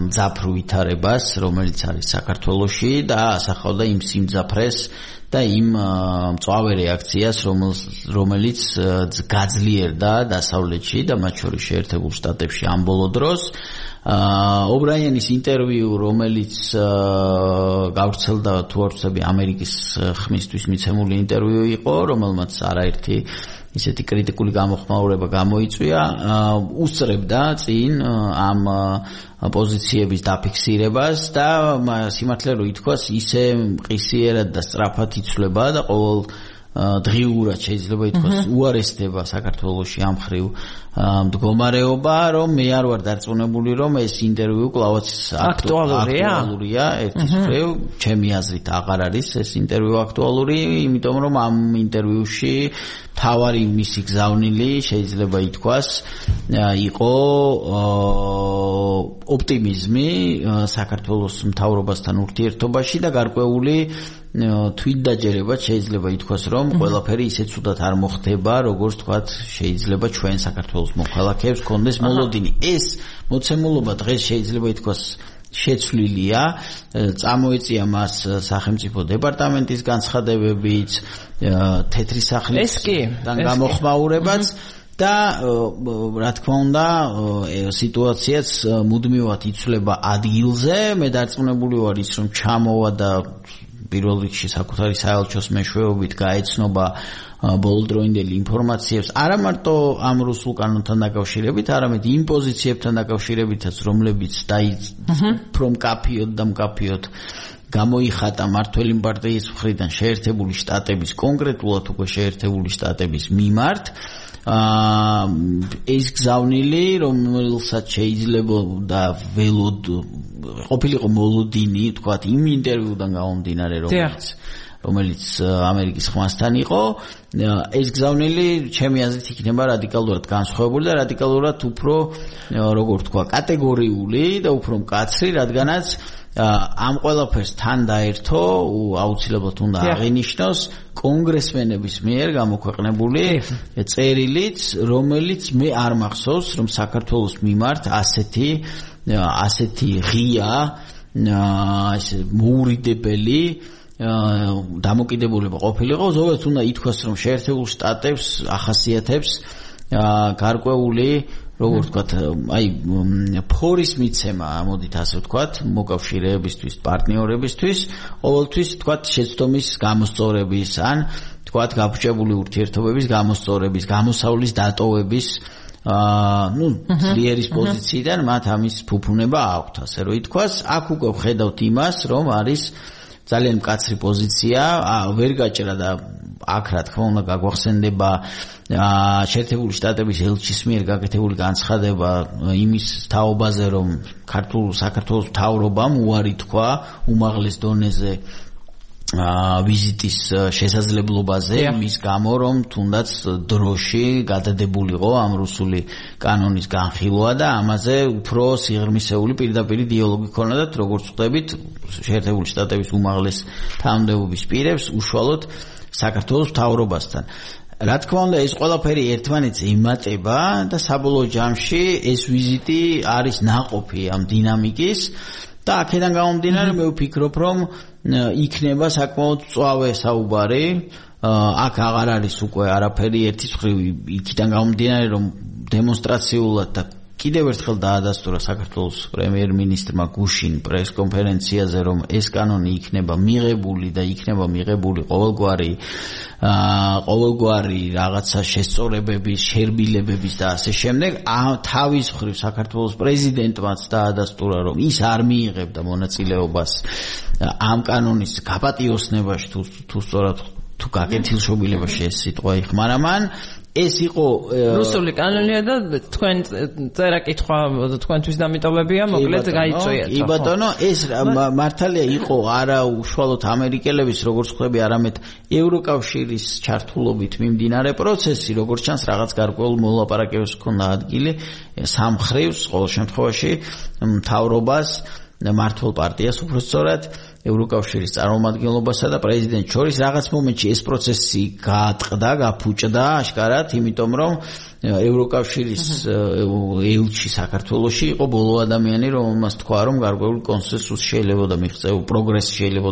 მძაფრ ვითარებას რომელიც არის საქართველოში და ასახავდა იმ სიმძაფრეს და იმ მწვავე რეაქციას რომელიც გაძლიერდა დასავლეთში და მათ შორის შეერთებულ შტატებში ამ ბოლო დროს ობრაიანის ინტერვიუ რომელიც გავრცელდა თუ არ ვცდები ამერიკის ხმისთვის მიცემული ინტერვიუ იყო რომელმაც არაერთი ისეთი კრიტიკული გამოხმაურება გამოიწვია უსწრებდა წინ ამ პოზიციების დაფიქსირებას და სიმართლე რომ ითქვას ისე მყისიერად და სწრაფად იცვლება და ყოველ დღიურად შეიძლება ითქვას უარესდება საქართველოში ამ ხრივ მდგომარეობა რომ მე არ ვარ დარწმუნებული რომ ეს ინტერვიუ კლავაც აქტუალურია ერთის ხრივ ჩემი აზრით აღარ არის ეს ინტერვიუ აქტუალური იმიტომ რომ ამ ინტერვიუში თავარი მისი გზავნილი შეიძლება ითქვას იყო ოპტიმიზმი საქართველოს მთავრობასთან ურთიერთობაში და გარკვეული თვითდაჯერება შეიძლება ითქვას რომ ყველაფერი ისე ცუდად არ მოხდება როგორც თქვათ შეიძლება ჩვენ საქართველოს მოქალაქეებს კონდეს მოლოდინი ეს მოცემულობა დღეს შეიძლება ითქვას შეცვლილია წამოეწია მას სახელმწიფო დეპარტამენტის განცხადებებიც თეთრი სახლისგან გამოხმაურებაც და რა თქმა უნდა სიტუაციაც მუდმივად იცვლება ადგილზე მე დარწმუნებული ვარ ის რომ ჩამოვა და პირველ რიგში საკუთარი საელჩოს მეშვეობით გაეცნობა ბოლოდროინდელი ინფორმაციებს არა მარტო ამ რუსულ კანონთან დაკავშირებით, არამედ იმ პოზიციებთან დაკავშირებითაც, რომლებიც უფრო მკაფიოდ და მკაფიოდ გამოიხატა მართველი პარტიის მხრიდან შეერთებული შტატების, კონკრეტულად უკვე შეერთებული შტატების მიმართ ეს გზავნილი, რომელსაც შეიძლება და ველოდ ყოფილიყო მოლოდინი, თქვათ, იმ ინტერვიუდან გამომდინარე, რომელიც ამერიკის ხმასთან იყო, ეს გზავნილი ჩემი აზრით იქნება რადიკალურად განსხვავებული და რადიკალურად უფრო, როგორ თქვა, კატეგორიული და უფრო მკაცრი, რადგანაც ამ ყველაფერს თან დაერთო აუცილებლად უნდა აღინიშნოს კონგრესმენების მიერ გამოქვეყნებული წერილიც, რომელიც მე არ მახსოვს, რომ საქართველოს მიმართ ასეთი ღია, ესე მოურიდებელი დამოკიდებულება ყოფილიყო, ზოგადად უნდა ითქვას, რომ შეერთებულ შტატებს ახასიათებს გარკვეული როგორ ვთქვათ, აი ფორის მიცემა, მოდით ასე ვთქვათ, მოკავშირეებისთვის, პარტნიორებისთვის, ყოველთვის ვთქვათ, შეცდომის გამოსწორების ან ვთქვათ, გაფუჭებული ურთიერთობების გამოსწორების, გამოსავლის დატოვების ძლიერის პოზიციიდან მათ ამის ფუფუნება აქვთ, ასე რომ ითქვას, აქ უკვე ვხედავთ იმას, რომ არის ძალიან მკაცრი პოზიცია, ვერ გაჭრა და აქ რა თქმა უნდა გაგვახსენდება შეერთებული შტატების ელჩის მიერ გაკეთებული განცხადება იმის თაობაზე, რომ საქართველოს მთავრობამ უარი თქვა უმაღლეს დონეზე ვიზიტის შესაძლებლობაზე, მის გამო რომ თუნდაც დროში გადადებულიყო ამ რუსული კანონის განხილვა და ამაზე უფრო სიღრმისეული პირდაპირი დიალოგი ქონოდათ, როგორც ვხვდებით, შეერთებული შტატების უმაღლეს თანამდებობის პირებს უშუალოდ საქართველოს მთავრობასთან. რა თქმა უნდა, ეს ყველაფერი ერთმანეთს ემატება და საბოლოო ჯამში ეს ვიზიტი არის ნაყოფი ამ დინამიკის და აქედან გამომდინარე მე ვფიქრობ, რომ იქნება საკმაოდ მწვავე საუბარი. აქ აღარ არის უკვე არაფერი ერთის მხრივ იქიდან გამომდინარე, რომ დემონსტრაციულად და კიდევ ერთხელ დაადასტურა საქართველოს პრემიერ-მინისტრმა გუშინ პრეს-კონფერენციაზე, რომ ეს კანონი იქნება მიღებული და იქნება მიღებული ყოველგვარი რაღაცა შესწორებების, შერბილებების და ასე შემდეგ. თავის მხრივ საქართველოს პრეზიდენტმაც დაადასტურა, რომ ის არ მიიღებდა მონაწილეობას ამ კანონის გაპატიოსნებაში, თუ სწორად თუ გაკეთილშობილებაში ეს სიტყვა იხმარა მან. ეს იყო რუსული კანონია და თქვენ წერა-კითხვა თქვენთვის დამიტოვებია, მოკლედ გაიწვიეთ. კი ბატონო, ეს მართალია იყო არა უშუალოდ ამერიკელების, როგორც ხვდები, არამედ ევროკავშირის ჩართულობით მიმდინარე პროცესი, როგორც ჩანს, რაღაც გარკვეულ მოლაპარაკებებს ჰქონდა ადგილი სამხრივს, ყოველ შემთხვევაში მთავრობას, მართლ პარტიას უბრალოდ ევროკავშირის წარმომადგენლობასა და პრეზიდენტს შორის რაღაც მომენტში ეს პროცესი გაატყდა, გაფუჭდა აშკარად, იმიტომ რომ ევროკავშირის ელჩი საქართველოში იყო ბოლო ადამიანი, რომელმაც თქვა, რომ გარკვეული კონსენსუსი შეიძლება მიღწეულ, პროგრესი შეიძლება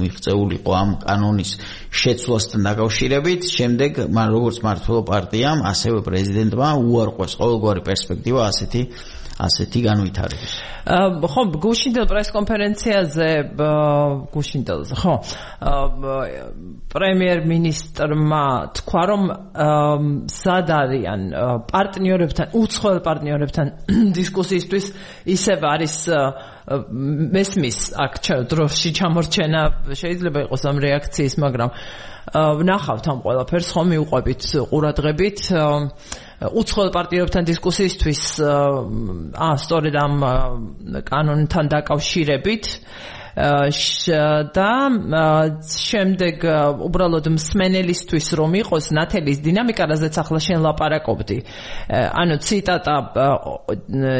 მიღწეულიყო ამ კანონის შეცვლასთან დაკავშირებით. შემდეგ მან როგორც მმართველ პარტიამ, ასევე პრეზიდენტმა უარყვეს ყოველგვარი პერსპექტივა ასეთი განვითარების. ხო, გუშინდელ პრეს-კონფერენციაზე, ხო, პრემიერ-მინისტრმა თქვა, რომ სად არიან პარტნიორებთან, უცხოელ პარტნიორებთან დისკუსიისთვის, ისევ არის მესმის აქ დროში ჩამორჩენა, შეიძლება იყოს ამ რეაქციის, მაგრამ ვნახავთ ამ ყველაფერს, ხომ მიუყვებით ყურადღებით. უცხოელ პარტნიორებთან დისკუსიისთვის სწორედ ამ კანონთან დაკავშირებით და შემდეგ უბრალოდ მსმენელისთვის რომ იყოს ნათელის დინამიკა, რაზეც ახლა შენ ლაპარაკობდი. ანუ ციტატა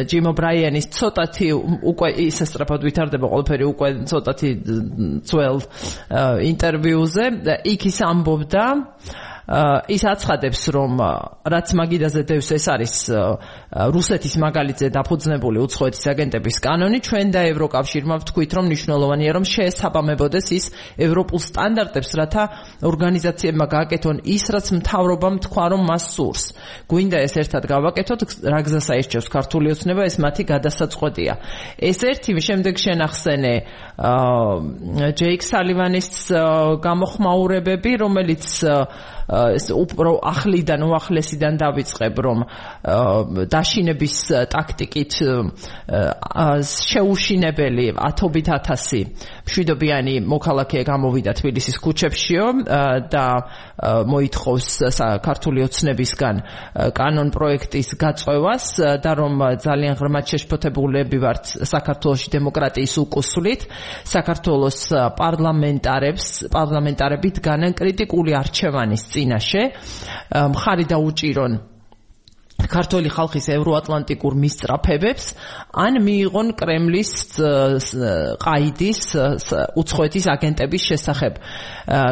ჯიმ ობრაიანის ცოტათი უკვე ისე სწრაფად ვითარდება ყველაფერი უკვე ცოტათი ძველ ინტერვიუზე, იქ ის ამბობდა, ის აცხადებს, რომ რაც მაგიდაზე დევს, ეს არის რუსეთის მაგალითზე დაფუძნებული უცხოეთის აგენტების კანონი. ჩვენ და ევროკავშირმა ვთქვით, რომ მნიშვნელოვანია, რომ შეესაბამებოდეს ის ევროპულ სტანდარტებს, რათა ორგანიზაციებმა გააკეთონ ის, რაც მთავრობამ თქვა, რომ მას სურს. გვინდა ეს ერთად გავაკეთოთ, რა გზას აირჩევს ქართული ოცნება, ეს მათი გადასაწყვეტია. ეს ერთი, შემდეგ შენახსენე ჯეიკ სალივანის გამოხმაურებები, რომელიც უფრო ახლიდან უახლესიდან დავიწყებ, რომ დაშინების ტაქტიკით შეუშინებელი 10,000 მშვიდობიანი მოქალაქე გამოვიდა თბილისის ქუჩებშიო და მოითხოვს ქართული ოცნებისგან კანონ პროექტის გაწევას და რომ ძალიან ღრმად შეშფოთებულები ვართ საქართველოში დემოკრატიის უკუსვლით. საქართველოს პარლამენტარები დგანან კრიტიკული არჩევანის წინაშე, მხარი დაუჭირონ ქართული ხალხის ევროატლანტიკურ მისწრაფებებს, ან მიიღონ კრემლის ყაიდის უცხოეთის აგენტების შესახებ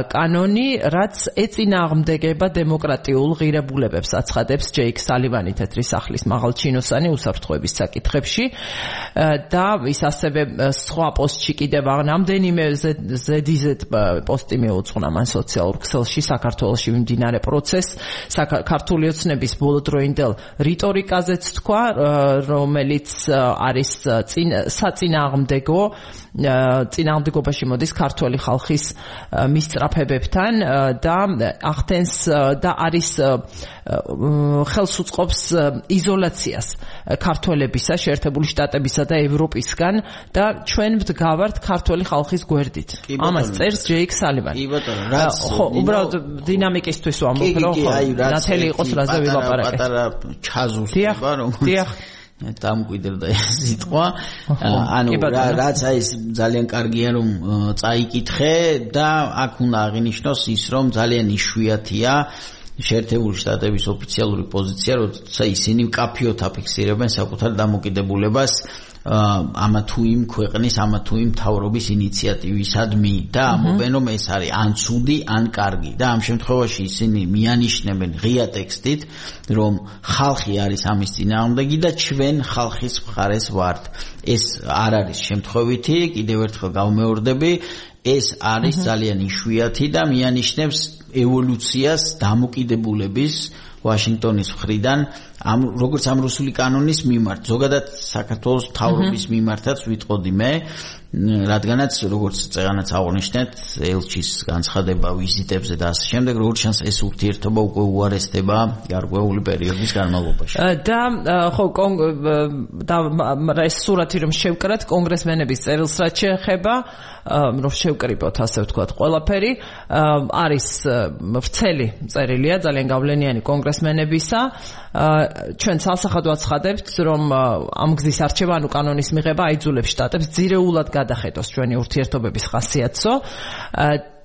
კანონი, რაც ეწინააღმდეგება დემოკრატიულ ღირებულებებს, აცხადებს ჯეიკ სალივანი თეთრი სახლის მაღალჩინოსანი უსაფრთხოების საკითხებში და ის ასევე სხვა პოსტში კიდევ რამდენიმე ზედიზედ პოსტი მიუძღვნა მან სოციალურ ქსელში საქართველოში მიმდინარე პროცესს, ქართული ოცნების ბოლოდროინდელ რიტორიკაზეც თქვა, რომელიც არის წინააღმდეგობაში მოდის ქართული ხალხის მისწრაფებებთან და ახდენს და არის ხელს უწყობს იზოლაციას ქართველებისა, შეერთებული შტატებისა და ევროპისგან და ჩვენ ვდგავართ ქართული ხალხის გვერდით. ამას წერს ჯეიკ სალივანი. კი ბატონო, რაც ხო, უბრალოდ დინამიკისთვის ვამბობ, რომ ნათელი იყოს რაზე ვილაპარაკეთ. პატარა ჩაზუსტება, რომელიც დამკვიდრდა ეს სიტყვა. ანუ რაც ის ძალიან კარგია რომ წაიკითხე და აქ უნდა აღინიშნოს ის, რომ ძალიან იშვიათია შეერთებული შტატების ოფიციალური პოზიცია, როცა ისინი მკაფიოდ აფიქსირებენ საკუთარ დამოკიდებულებას ამა თუ იმ ქვეყნის, ამა თუ იმ მთავრობის ინიციატივისადმი და ამობენ, რომ ეს არის ან ცუდი, ან კარგი და ამ შემთხვევაში ისინი მიანიშნებენ ღია ტექსტით, რომ ხალხი არის ამის წინააღმდეგი და ჩვენ ხალხის მხარეს ვართ. ეს არ არის შემთხვევითი, კიდევ ერთხელ გავმეორდები, ეს არის ძალიან იშვიათი და მიანიშნებს ევოლუციას დამოკიდებულების ვაშინგტონის მხრიდან როგორც ამ რუსული კანონის მიმართ, ზოგადად საქართველოს მთავრობის მიმართაც ვიტყოდი მე, რადგანაც როგორც წეღანაც აღნიშნეთ, ელჩის განცხადება ვიზიტებზე და ასე შემდეგ, როგორც ჩანს ეს ურთიერთობა უკვე უარესდება გარკვეული პერიოდის განმავლობაში. და ხო ეს სურათი რომ შევკრათ კონგრესმენების წერილს რაც შეეხება, რომ შევკრიბოთ ასე ვთქვათ ყველაფერი, არის ვრცელი წერილია, ძალიან გავლენიანი კონგრესმენებისა. ჩვენ სამსახად ვაცხადებთ, რომ ამ გზის არჩევა, ანუ კანონის მიღება აიძულებს შტატებს ძირეულად გადახედოს ჩვენი ურთიერთობების ხასიათსო.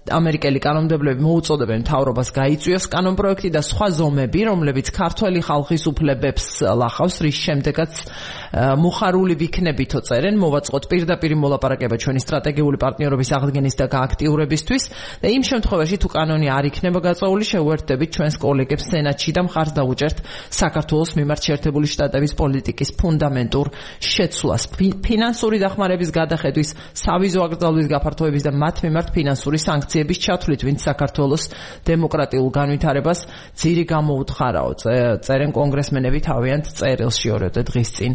ამერიკელი კანონმდებლები მოუწოდებენ მთავრობას გაიწვიოს კანონპროექტი და სხვა ზომები, რომლებიც ქართველი ხალხის უფლებებს ლახავს, რის შემდეგაც მოხარული ვიქნებითო წერენ, მოვაწყოთ პირდაპირ მოლაპარაკება ჩვენი სტრატეგიული პარტნიორობის აღდგენის და გააქტიურებისთვის და იმ შემთხვევაში თუ კანონი არ იქნება გაწეული, შევუერთდებით ჩვენს კოლეგებს სენატში და მხარს დაუჭერთ საქართველოს მიმართ შეერთებული შტატების პოლიტიკის ფუნდამენტურ შეცვლას, ფინანსური დახმარების გადახედვის, სავიზო აკრძალვის გაფართოების და მათ მიმართ ფინანსური სანქციების ჩათვლით, ვინც საქართველოს დემოკრატიულ განვითარებას ძირი გამოუთხარაო. წერენ კონგრესმენები თავიანთ წერილში ორევდე დღის წინ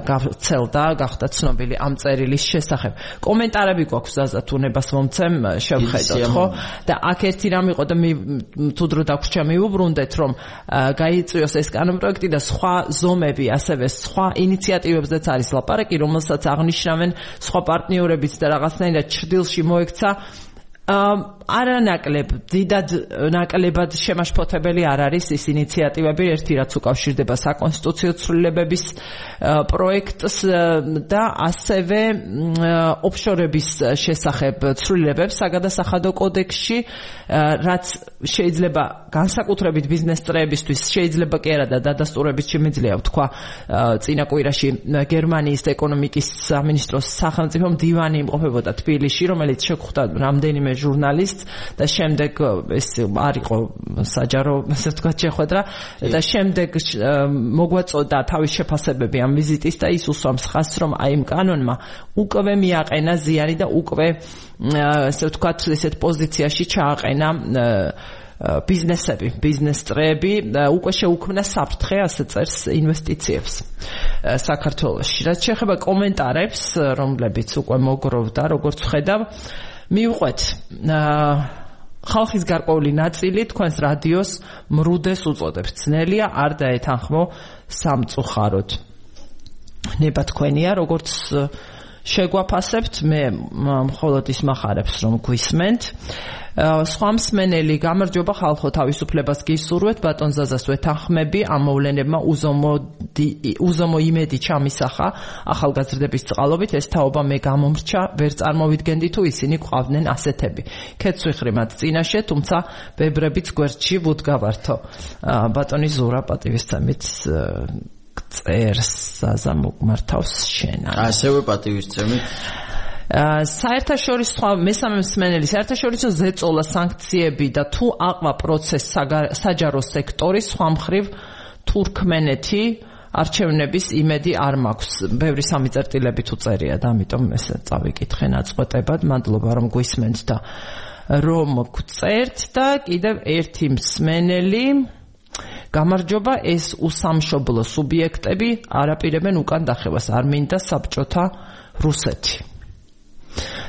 გახცელდა, გახდა ცნობილი ამ წერილის შესახებ. კომენტარები გვაქვს ზაზად უნებას მომცემ, შევხედოთ, ხო? და აქ ერთი რამ იყო და თუ დრო დაგვრჩა მივუბრუნდეთ, რომ გაიწვიოს ეს კანონპროექტი და სხვა ზომები, ასევე სხვა ინიციატივებზეც არის ლაპარაკი, რომელსაც აღნიშნავენ სხვა პარტნიორებიც და რაღაცნაირად ჭრდილში მოექცა. არანაკლებ დიდად ნაკლებად შემაშფოთებელი არ არის ის ინიციატივები, ერთი რაც უკავშირდება საკონსტიტუციო ცვლილებების პროექტს და ასევე ოფშორების შესახებ ცვლილებებს საგადასახადო კოდექსში, რაც შეიძლება განსაკუთრებით ბიზნეს წრეებისთვის შეიძლება კი არა და დადასტურებით შემიძლია ვთქვა, წინა კვირაში გერმანიის ეკონომიკის სამინისტროს სახელმწიფო მდივანი იმყოფებოდა თბილისში, რომელიც შეხვდა რამდენიმე ჟურნალისტს და შემდეგ ეს არ იყო საჯარო, ასე ვთქვათ, შეხვედრა და შემდეგ მოგვაწოდა თავის შეფასებები ამ ვიზიტის და ის უსვამს ხაზს, რომ აი იმ კანონმა უკვე მიაყენა ზიანი და უკვე ასე ვთქვათ, ესეთ პოზიციაში ჩააყენა ბიზნეს წრეები, უკვე შეუქმნა საფრთხე, ასე წერს, ინვესტიციებს საქართველოში. რაც შეეხება კომენტარებს, რომლებიც უკვე მოგროვდა, როგორც ვხედავ, მივყვეთ ხალხის გარკვეული ნაწილი თქვენს რადიოს მრუდეს უწოდებს. ძნელია არ დაეთანხმო სამწუხაროდ. ნება თქვენია, როგორც შეგვაფასებთ, მე მხოლოდ ის მახარებს, რომ გვისმენთ. სხვა მსმენელი, გამარჯობა ხალხო, თავისუფლებას გისურვეთ, ბატონ ზაზას ვეთანხმები, ამ მოვლენებმა უზომო იმედი ჩამისახა ახალგაზრდების წყალობით, ეს თაობა მე გამომრჩა, ვერ წარმოვიდგენდი თუ ისინი გვყავდნენ ასეთები. ქეცვიხრი მათ წინაშე, თუმცა ბებრებიც გვერდში ვუდგავართო. ბატონი ზურა პატივისცემით წერს ზაზა მოგმართავს შენ. ასევე პატივისცემით საერთაშორისო მესამე მსმენელი საერთაშორისო ზეწოლა სანქციები და თუ აყვა პროცესს საჯარო სექტორის სხვა მხრივ თურქმენეთი არჩევნების იმედი არ მაქვს. ბევრი სამიწერტილებით უწერია და ამიტომ ესე წავიკითხე ნაწყვეტებად. მადლობა რომ გვისმენთ და რომ გწერთ და კიდევ ერთი მსმენელი გამარჯობა, ეს უსამშობლო სუბიექტები არაპირებენ უკან დახევას, არ მინდა საბჭოთა რუსეთი.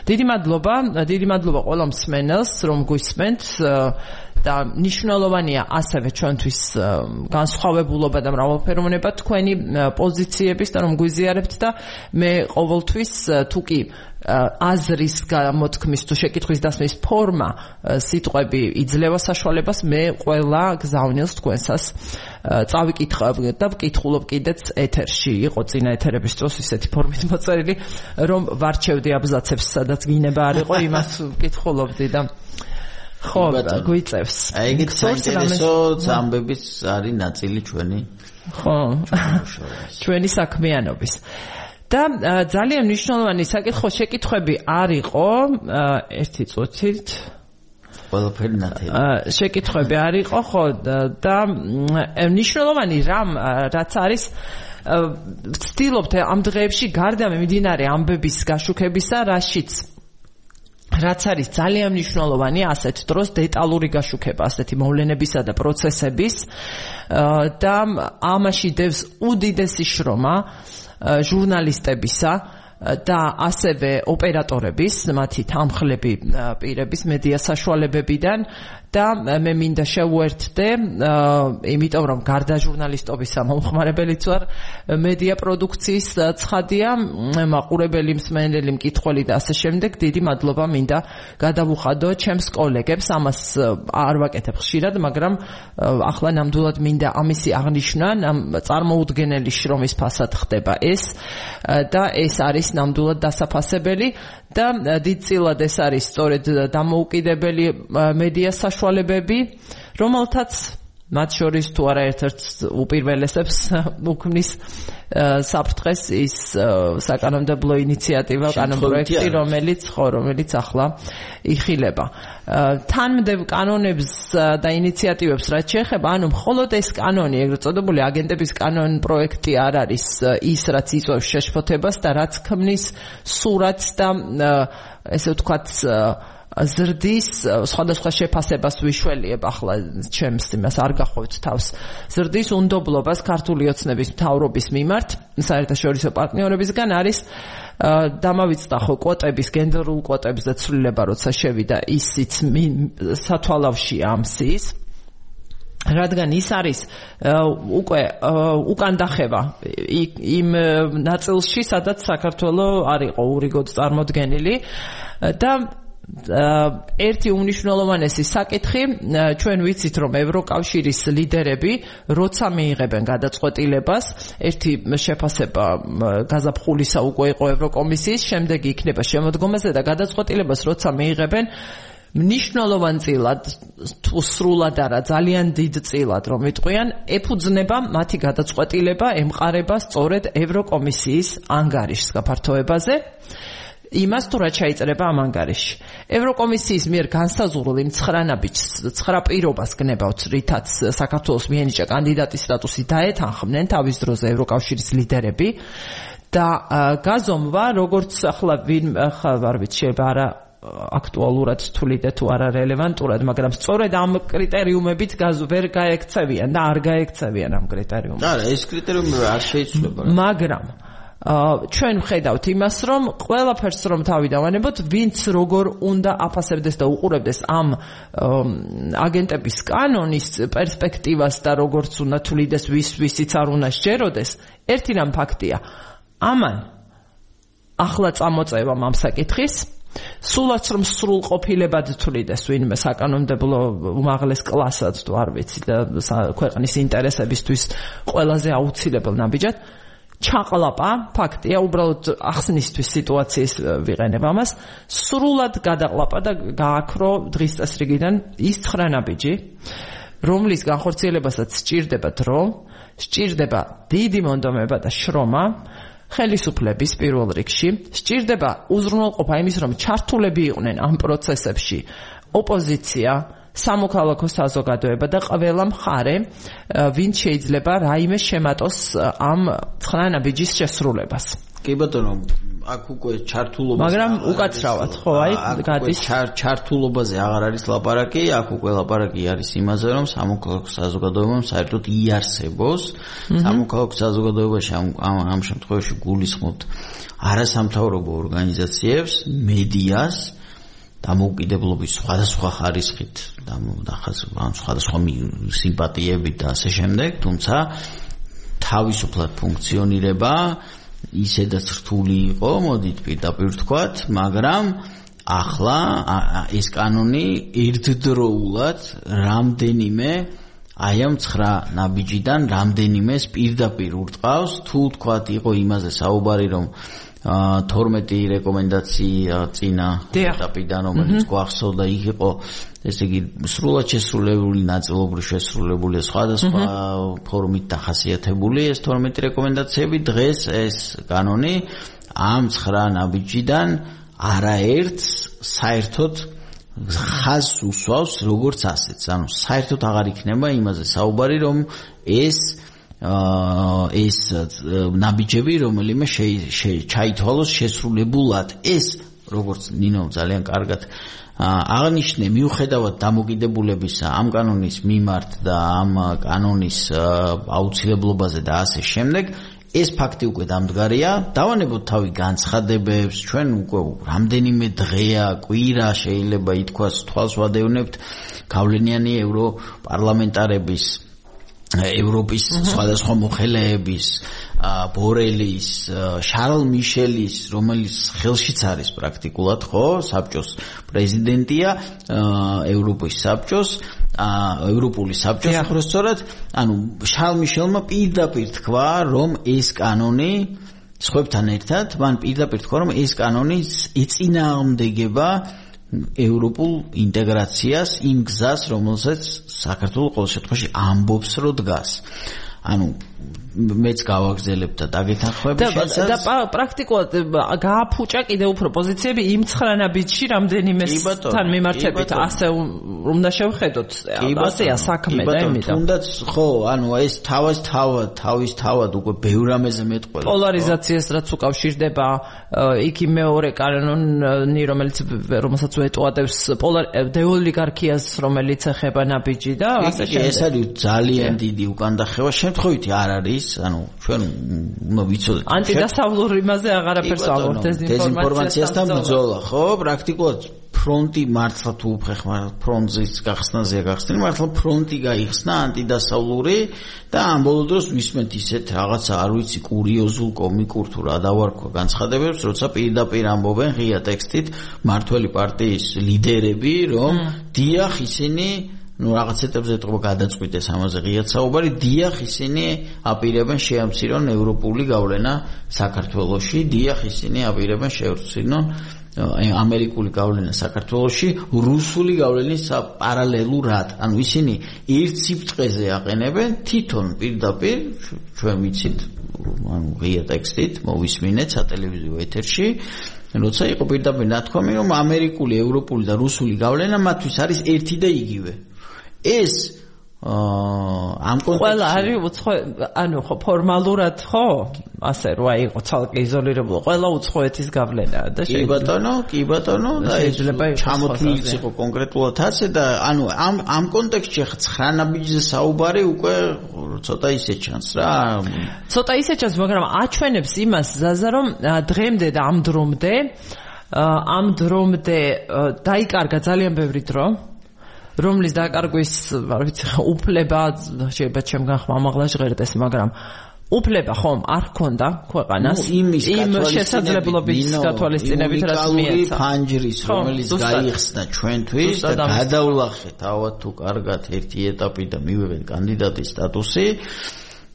დიდი მადლობა ყველა მსმენელს, რომ გვისმენთ და მნიშვნელოვანია ასევე ჩვენთვის განსხვავებულობა და მრავალფეროვნება თქვენი პოზიციების და რომ გვიზიარებთ და მე ყოველთვის თუ კი აზრის გამოთქმის თუ შეკითხვის დასმის ფორმა სიტყვები იძლევა საშუალებას, მე ყველა გზავნილს თქვენსას წავიკითხავ და ვკითხულობ კიდეც ეთერში. იყო წინა ეთერების დროს ისეთი ფორმით მოწერილი, რომ ვარჩევდი აბზაცებს, სადაც გინება არ იყო, იმას ვკითხულობდი და ხო, გვიწევს. აი ეგეთ საინტერესო ამბების არის ნაწილი ჩვენი. ხო. ჩვენი საქმიანობის. და ძალიან მნიშვნელოვანი შეკითხვები არ იყო, ერთი წუთით ყველაფერი ნათელი. შეკითხვები არ იყო, ხო, და მნიშვნელოვანი რაც არის ვცდილობთ ამ დღეებში გარდა მიმდინარე ამბების გაშუქებისა, რაშიც რაც არის ძალიან მნიშვნელოვანი ასეთ დროს დეტალური გაშუქება ასეთი მოვლენებისა და პროცესების და ამაში დევს უდიდესი შრომა ჟურნალისტებისა და ასევე ოპერატორების, მათი თანხლები პირების მედია საშუალებებიდან და მე მინდა შევუერთდე, იმიტომ რომ გარდა ჟურნალისტობისა მომხმარებელიც ვარ მედია პროდუქციის ცხადია, მაყურებელი, მსმენელი, მკითხველი და ასე შემდეგ, დიდი მადლობა მინდა გადავუხადო ჩემს კოლეგებს, ამას არ ვაკეთებ ხშირად, მაგრამ ახლა ნამდვილად მინდა ამისი აღნიშვნა, წარმოუდგენელი შრომის ფასად ხდება ეს და ეს არის ნამდვილად დასაფასებელი და დიდწილად ეს არის სწორედ დამოუკიდებელი მედია საშუალებები, რომელთაც მათ შორის თუ არა ერთ-ერთ უპირველესებს უქმნის საფრთხეს ის საკანონმდებლო ინიციატივა, კანონპროექტი, რომელიც ახლა იხილება. თანმდევ კანონებს და ინიციატივებს რაც შეეხება, ანუ მხოლოდ ეს კანონი, ეგრეთ წოდებული აგენტების კანონპროექტი არ არის ის, რაც იწვევს შეშფოთებას და რაც ქმნის სურათს და ესე ვთქვათ ზრდის სხვადასხვა შეფასებას ვიშველიებ ახლა ჩემს იმას არ გახავთ თავს ზრდის უნდობლობას ქართული ოცნების მთავრობის მიმართ საერთაშორისო პარტნიორებისგან არის დამავიწყდა ხო კვოტების გენდერულ კვოტებზე ცვლილება როცა შევიდა ისიც სათვალავში ამ სის რადგან ის არის უკვე უკან დახევა იმ ნაწილში სადაც საქართველოს არ იყო ურიგოდ წარმოდგენილი და ერთი უმნიშვნელოვანესი საკითხი ჩვენ ვიცით რომ ევროკავშირის ლიდერები როცა მიიღებენ გადაწყვეტილებას ერთი შეფასება გაზაფხულისა უკვე იყო ევროკომისიის შემდეგი იქნება შემოდგომაზე და გადაწყვეტილებას როცა მიიღებენ მნიშვნელოვანწილად თუ სრულად არა ძალიან დიდწილად რომ ვიტყვიან ეფუძნება მათი გადაწყვეტილება ემყარება სწორედ ევროკომისიის ანგარიშს გაფართოებაზე იმას თუ რა ჩაიწერება ამ ანგარიში. ევროკომისიის მიერ განსაზღვრულ იმ 9 პირობას გნებავთ, რითაც საქართველოს მიენიჭა კანდიდატის სტატუსი დაეთანხმნენ თავის დროზე ევროკავშირის ლიდერები და გაზომვა, როგორც ახლა არ ვიცი, შეიძლება არა აქტუალურად თვლიდე თუ არა რელევანტურად, მაგრამ სწორედ ამ კრიტერიუმებით ვერ გაექცევიან და არ გაექცევიან ამ კრიტერიუმებს. არა, ეს კრიტერიუმები არ შეიცვლება. მაგრამ ჩვენ ვხედავთ იმას, რომ ყველაფერს რომ თავი დავანებოთ, ვინც როგორ უნდა აფასებდეს და უყურებდეს ამ აგენტების კანონის პერსპექტივას და როგორც უნდა თვლიდეს ვისიც არ უნდა სჯეროდეს, ერთი რამ ფაქტია. ამან ახლა წამოწევამ ამ საკითხის სულაც რომ სრულყოფილებად თვლიდეს ვინმე საკანონმდებლო უმაღლეს კლასად თუ არ ვიცი და ქვეყნის ინტერესებისთვის ყველაზე აუცილებელ ნაბიჯად ჩაყლაპა ფაქტია უბრალოდ ახსნისთვის სიტუაციის ვიყენებ ამას სრულად გადაყლაპა და გააქრო დღის წესრიგიდან ის 9 ნაბიჯი რომლის განხორციელებასაც სჭირდება დრო სჭირდება დიდი მონდომება და შრომა ხელისუფლების პირველ რიგში სჭირდება უზრუნველყოფა იმის რომ ჩართულები იყვნენ ამ პროცესებში ოპოზიცია სამოქალაქო საზოგადოება და ყველა მხარე ვინც შეიძლება რაიმე შემატოს ამ 9 ნაბიჯის შესრულებას. კი ბატონო, აქ უკვე ჩართულობა მაგრამ უკაცრავად, ხო, აი გადის ჩართულობაზე აღარ არის ლაპარაკი, აქ უკვე ლაპარაკი არის იმაზე, რომ სამოქალაქო საზოგადოებამ საერთოდ იარსებოს. სამოქალაქო საზოგადოებაში ამ შემთხვევაში გულისხმობთ არასამთავრობო ორგანიზაციებს, მედიას დამოუკიდებლობის სხვადასხვა ხარისხით და სხვადასხვა სიმპათიებით და ასე შემდეგ, თუმცა თავისუფლად ფუნქციონირება ისედაც რთული იყო, მოდით პირდაპირ ვთქვათ, მაგრამ ახლა ეს კანონი ერთდროულად რამდენიმე აი ამ 9 ნაბიჯიდან რამდენიმეს პირდაპირ ურტყავს, თუ ვთქვათ იყო იმაზე საუბარი, რომ 12 რეკომენდაცია წინა ეტაპიდან რომელიც გვახსოვდა იქ იყო ესე იგი სრულად შესრულებული ნაწილობრივ შესრულებული სხვადასხვა ფორმით დახასიათებული ეს 12 რეკომენდაციები დღეს ეს კანონი ამ 9 ნაბიჯიდან არაერთს საერთოდ ხაზს უსვავს როგორც ასეთს ანუ საერთოდ აღარ იქნება იმაზე საუბარი რომ ეს ნაბიჯები რომელიმე ჩაითვალოს შესრულებულად ეს როგორც ნინო ძალიან კარგად აღნიშნე, მიუხედავად დამოკიდებულებისა ამ კანონის მიმართ და ამ კანონის აუცილებლობაზე და ასე შემდეგ, ეს ფაქტი უკვე დამდგარია. დავანებოთ თავი განცხადებებს, ჩვენ უკვე რამდენიმე დღეა, კვირა შეიძლება ითქვას, თვალს ვადევნებთ გავლენიანი ევროპარლამენტარების, ევროპის სხვადასხვა მოხელეების, ბორელის, შარლ მიშელის, რომელიც ხელშიც არის პრაქტიკულად, ხო, საბჭოს პრეზიდენტია, ევროპის საბჭოს, ევროპული საბჭოს, უბრალოდ, ანუ შარლ მიშელმა პირდაპირ თქვა, რომ ეს კანონი სხვებთან ერთად, მან პირდაპირ თქვა, რომ ეს კანონი ეწინააღმდეგება ევროპულ ინტეგრაციას, იმ გზას, რომელსაც საქართველოს ყოველ შემთხვევაში ამბობს, რომ დგას. ანუ მეც გავაგზელებ და დაგეთანხმები შესაძლოა და პრაქტიკულად გააფუჭა კიდევ უფრო პოზიციები იმ 9 ნაბიჯში რამდენიმესთან მიმართებით ასე უნდა შევხედოთ ასეა საქმე და იმით თუნდაც ხო ანუ ეს თავისთავად უკვე ბევრ რამეზე მეტყველებს პოლარიზაციას რაც უკავშირდება იქ მეორე კანონი რომელსაც ვეტყოდებს დეოლიგარქიას რომელიც ეხება ნაბიჯი და ასე შემდეგ ეს არის ძალიან დიდი უკანდახევა შემთხვევითი არ არის ანუ ჩვენ უნდა ვიცოდეთ ანტიდასავლურ იმაზე აღარაფერს ავიღოთ დეზინფორმაციასთან ბრძოლა ხო პრაქტიკულად ფრონტი მართლა თუ ხეხმარ ფრონტის გახსნაზეა გახსნილი მართლა ფრონტი გაიხსნა ანტიდასავლური და ამ ბოლო დროს ვისმენთ ისეთ რაღაცა არ ვიცი კურიოზულ კომიკურ თუ რა დავარქვა განცხადებებს როცა პირდაპირ ამბობენ ღია ტექსტით მართველი პარტიის ლიდერები რომ დიახ ისინი ну რაღაცეთებზე ეთყობა გადაწყვიტეს ამაზე ღიად საუბარი დიახ ისინი აპირებენ შეამცირონ ევროპული გავლენა საქართველოში დიახ ისინი აპირებენ შეამცირონ ამერიკული გავლენა საქართველოში რუსული გავლენის პარალელურად ანუ ისინი ერთ სიბრტყეზე აყენებენ თვითონ პირდაპირ ჩვენ ვიცით ანუ ღია ტექსტით მოვისმინეთ სატელევიზიო ეთერში როცა იყო პირდაპირ ნათქვამი რომ ამერიკული ევროპული და რუსული გავლენა მათთვის არის ერთი და იგივე ეს ამ კონტექსტში ყველა არის ანუ ხო ფორმალურად ხო ასე რა იყო ცალკე იზოლირებული ყველა უცხოეთის გავლენაა და კი ბატონო და შეიძლება ჩამოთვლილიც იყო კონკრეტულად ასე და ანუ ამ კონტექსტში 9 ნაბიჯზე საუბარი უკვე ცოტა ისე ჩანს რა ცოტა ისე ჩანს მაგრამ აჩვენებს იმას ზაზა რომ დღემდე და ამ დრომდე დაიკარგა ძალიან ბევრი დრო რომლის დაკარგვის არ ვიცი უფლება შეიძლება ჩემგან ხმამაღლა ჟღერდეს მაგრამ უფლება ხომ არ ჰქონდა ქვეყანას იმ შესაძლებლობის გათვალისწინებით რაც მიეცა ფანჯრის რომელიც გაიხსნა ჩვენთვის და გადავლახეთ ავად თუ კარგად ერთი ეტაპი და მივიღეთ კანდიდატის სტატუსი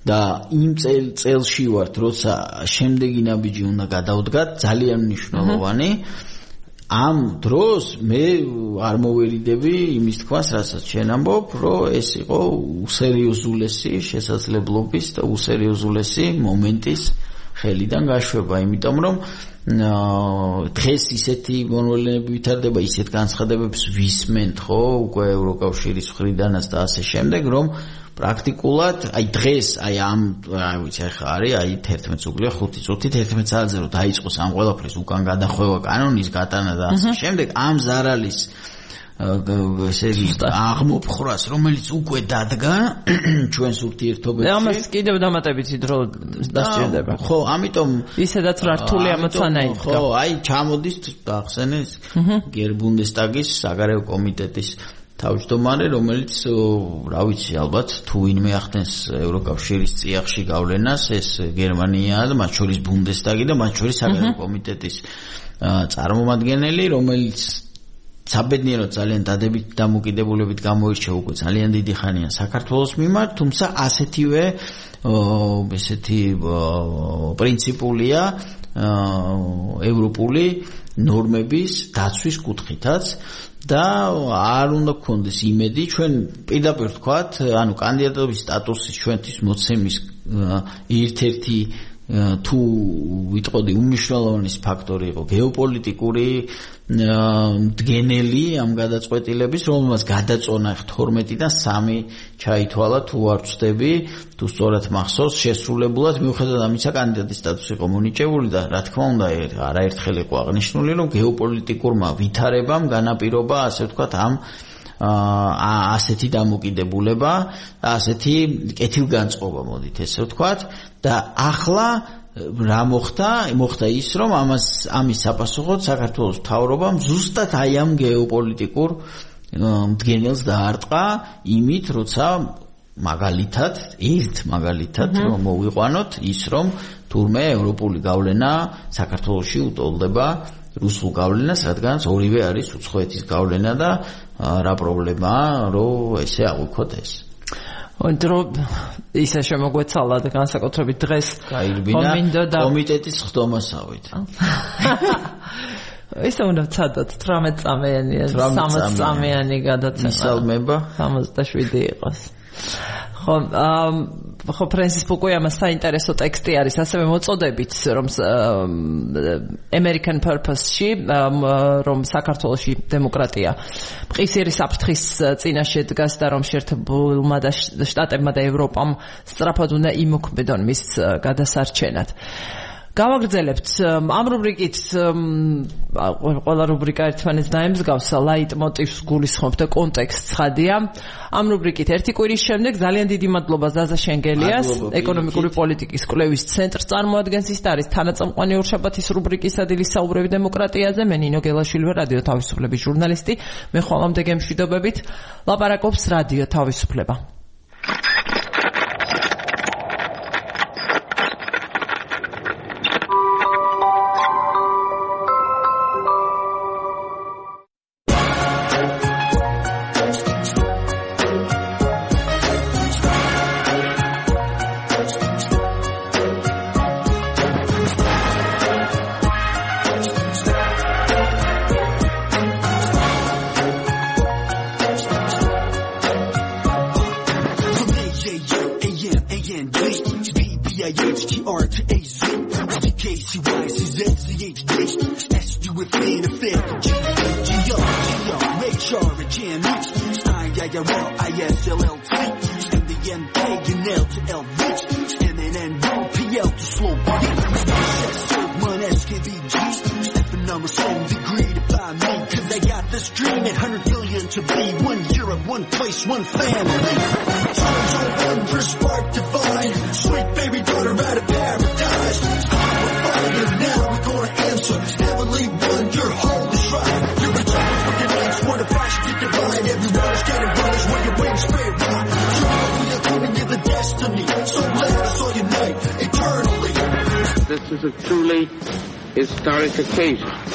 და იმ წელში ვართ როცა შემდეგი ნაბიჯი უნდა გადავდგათ ძალიან მნიშვნელოვანი ამ დროს მე არ მოვერიდები იმის თქვას, რასაც შენ ამბობ, რომ ეს იყო უსერიოზულესი შესაძლებლობის და უსერიოზულესი მომენტის ხელიდან გაშვება, იმიტომ რომ დღეს ისეთი მონოლენები ვითარდება, ისეთ განცხადებებს ვისმენთ, ხო, უკვე ევროკავშირის მხრიდანაც და ასე შემდეგ, რომ პრაქტიკულად აი დღეს აი ამ აი ვიცი ახლა არის აი 11 უკლია 5 წუთი 11 საათზე რომ დაიწყოს ამ ყველაფრის უკან გადახვევა კანონის გატანა და ასე შემდეგ ამ ზარალის ესე იგი აღმოფხრას რომელიც უკვე დადგა ჩვენს ურთიერთობებში ამას კიდევ დამატებითი დრო დასჭირდება ხო ამიტომ ისედაც რა რთული ამოცანა იყო ხო აი ჩამოდის ახსენეს გერბუნდესტაგის საგარეო კომიტეტის თავმჯდომარე, რომელიც რა ვიცი, ალბათ თუ ვინმე ახდენს ევროკავშირის წიაღში გავლენას, ეს გერმანიაა და მათ შორის ბუნდესტაგი და მათ შორის საგარეო კომიტეტის წარმომადგენელი, რომელიც საბედნიეროდ ძალიან დადებით დამოკიდებულებით გამოირჩევა უკვე ძალიან დიდი ხანია საქართველოს მიმართ, თუმცა ასეთივე ესეთი პრინციპულია ევროპული ნორმების დაცვის კუთხითაც და არ უნდა გქონდეს იმედი ჩვენ პირდაპირ ვთქვათ, ანუ კანდიდატობის სტატუსის ჩვენთვის მოცემის ერთ-ერთი თუ ვიტყოდი უმნიშვნელოვანესი ფაქტორი იყო გეოპოლიტიკური მდგენელი ამ გადაწყვეტილების, რომელმაც გადაწონა 12-დან 3 ჩაითვალა, თუ არ ვწდები, თუ სწორად მახსოვს, შესრულებულად მიუხედავად ამისა კანდიდატის სტატუსი იყო მონიჭებული და რა თქმა უნდა არაერთხელ იყო აღნიშნული, რომ გეოპოლიტიკურმა ვითარებამ განაპირობა, ასე ვთქვათ, ამ ასეთი დამოკიდებულება, ასეთი კეთილგანწყობა, მოდით ესე ვთქვათ, და ახლა რა მოხდა ის, რომ ამის საპასუხოდ საქართველოს მთავრობამ ზუსტად აი ამ გეოპოლიტიკურ მდგენელს დაარტყა იმით, როცა მაგალითად რომ მოვიყვანოთ ის, რომ თურმე ევროპული გავლენა საქართველოში უტოლდება რუსულ გავლენას, რადგანაც ორივე არის უცხოეთის გავლენა და რა პრობლემაა, რომ ესე აღვიქოთ ეს. დრო ისე შემოგვეცალა და განსაკუთრებით დღეს გაირბინა კომიტეტის ხდომასავით. ისე უნდა ვცადოთ 18 წამიანი, 30 წამიანი გადაცემა. ისალმება 67 იყოს. ხო ფრენსის ფუკუი ამას საინტერესო ტექსტი არის, ასევე მოწოდებით, რომ American Purpose-ში, რომ საქართველოში დემოკრატია მყისიერი საფრთხის წინაშე დგას და რომ შეერთებულმა შტატებმა და ევროპამ სწრაფად უნდა იმოქმედონ მის გადასარჩენად. გავაგრძელებთ ამ რუბრიკით, ყველა რუბრიკა ერთმანეთს დაემსგავს, ლაიტმოტივს გულისხმობ და კონტექსტს ხადია. ამ რუბრიკით ერთი კვირის შემდეგ ძალიან დიდი მადლობა ზაზა შენგელიას, ეკონომიკური პოლიტიკის კვლევის ცენტრს წარმოადგენს, ის არის თანაწამყვანი ორშაბათის რუბრიკის ადილის საუბრები დემოკრატიაზე. მე ნინო გელაშვილი ვარ, რადიო თავისუფლების ჟურნალისტი. მე ხვალამდე გემშვიდობებით. ლაპარაკობს რადიო თავისუფლება.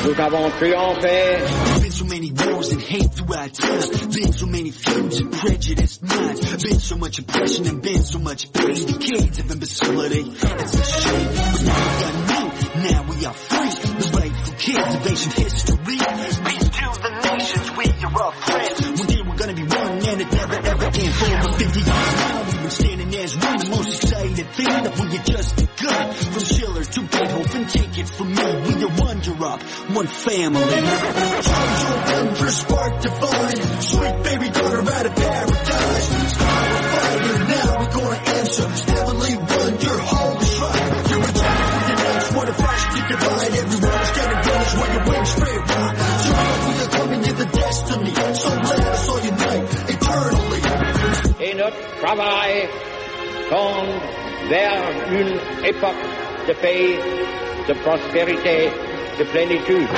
Nous avons triomphé. Been so many wars and hate throughout time. Been so many feuds and prejudiced minds. Been so much oppression and been so much pain. Decades of imbecility. It's a shame. But now we got new. Now we are free. The rightful kids of ancient history. Peace to the nations. We are all friends. One day we're gonna be one and it never ever ends. For over 50 years now we've been standing as one. The most excited thing that we are just begun. From Schiller to Beethoven, take it from me. We are one drop, one family. Charge your wonder, spark divine. Sweet baby daughter out of paradise. Our fire now, we're gonna answer. Heavenly wonder, holy shrine. You're a child with an axe, what a flash to divide. Everyone is getting brothers when your wings spread wide. So we are coming to the destiny. So let us all unite eternally. Et notre travail tend vers une époque de paix, de prospérité, de plénitude.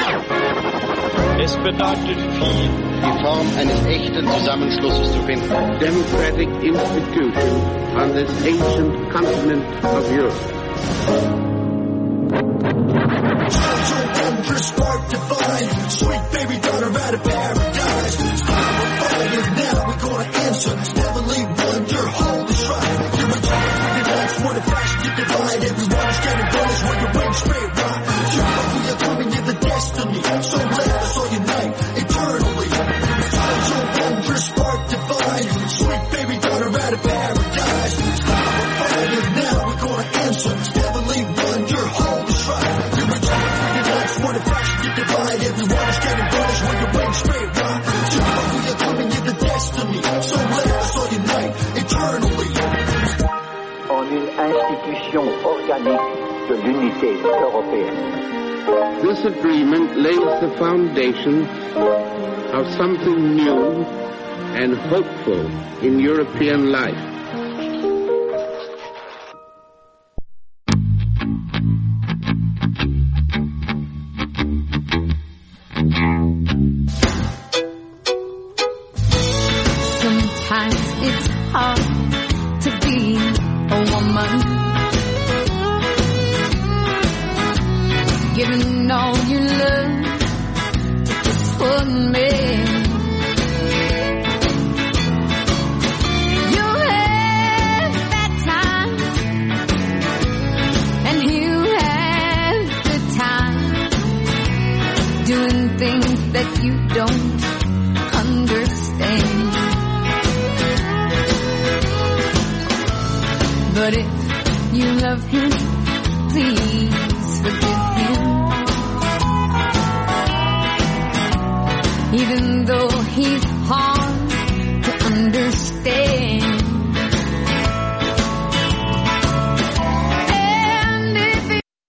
Es bedeutet viel, die Form eines echten Zusammenschlusses zu finden. Democratic institution on this ancient continent of Europe. Spark divine, sweet baby daughter out of paradise. Our fire now, we're gonna answer. Heavenly wonder, holy shrine. You're a child with an axe, what a flash to divide. Everyone's getting brothers when your wings spread wide. We are coming to the destiny, so let us all unite eternally. Spark divine, sweet baby daughter out of paradise. Our fire now, we're gonna answer. Heavenly l'unité européenne. This agreement lays the foundation of something new and hopeful in European life. Sometimes it's hard to be a woman, giving all you love to just one man. You have that time, and you have the time, doing things that you don't understand. But if you love him, please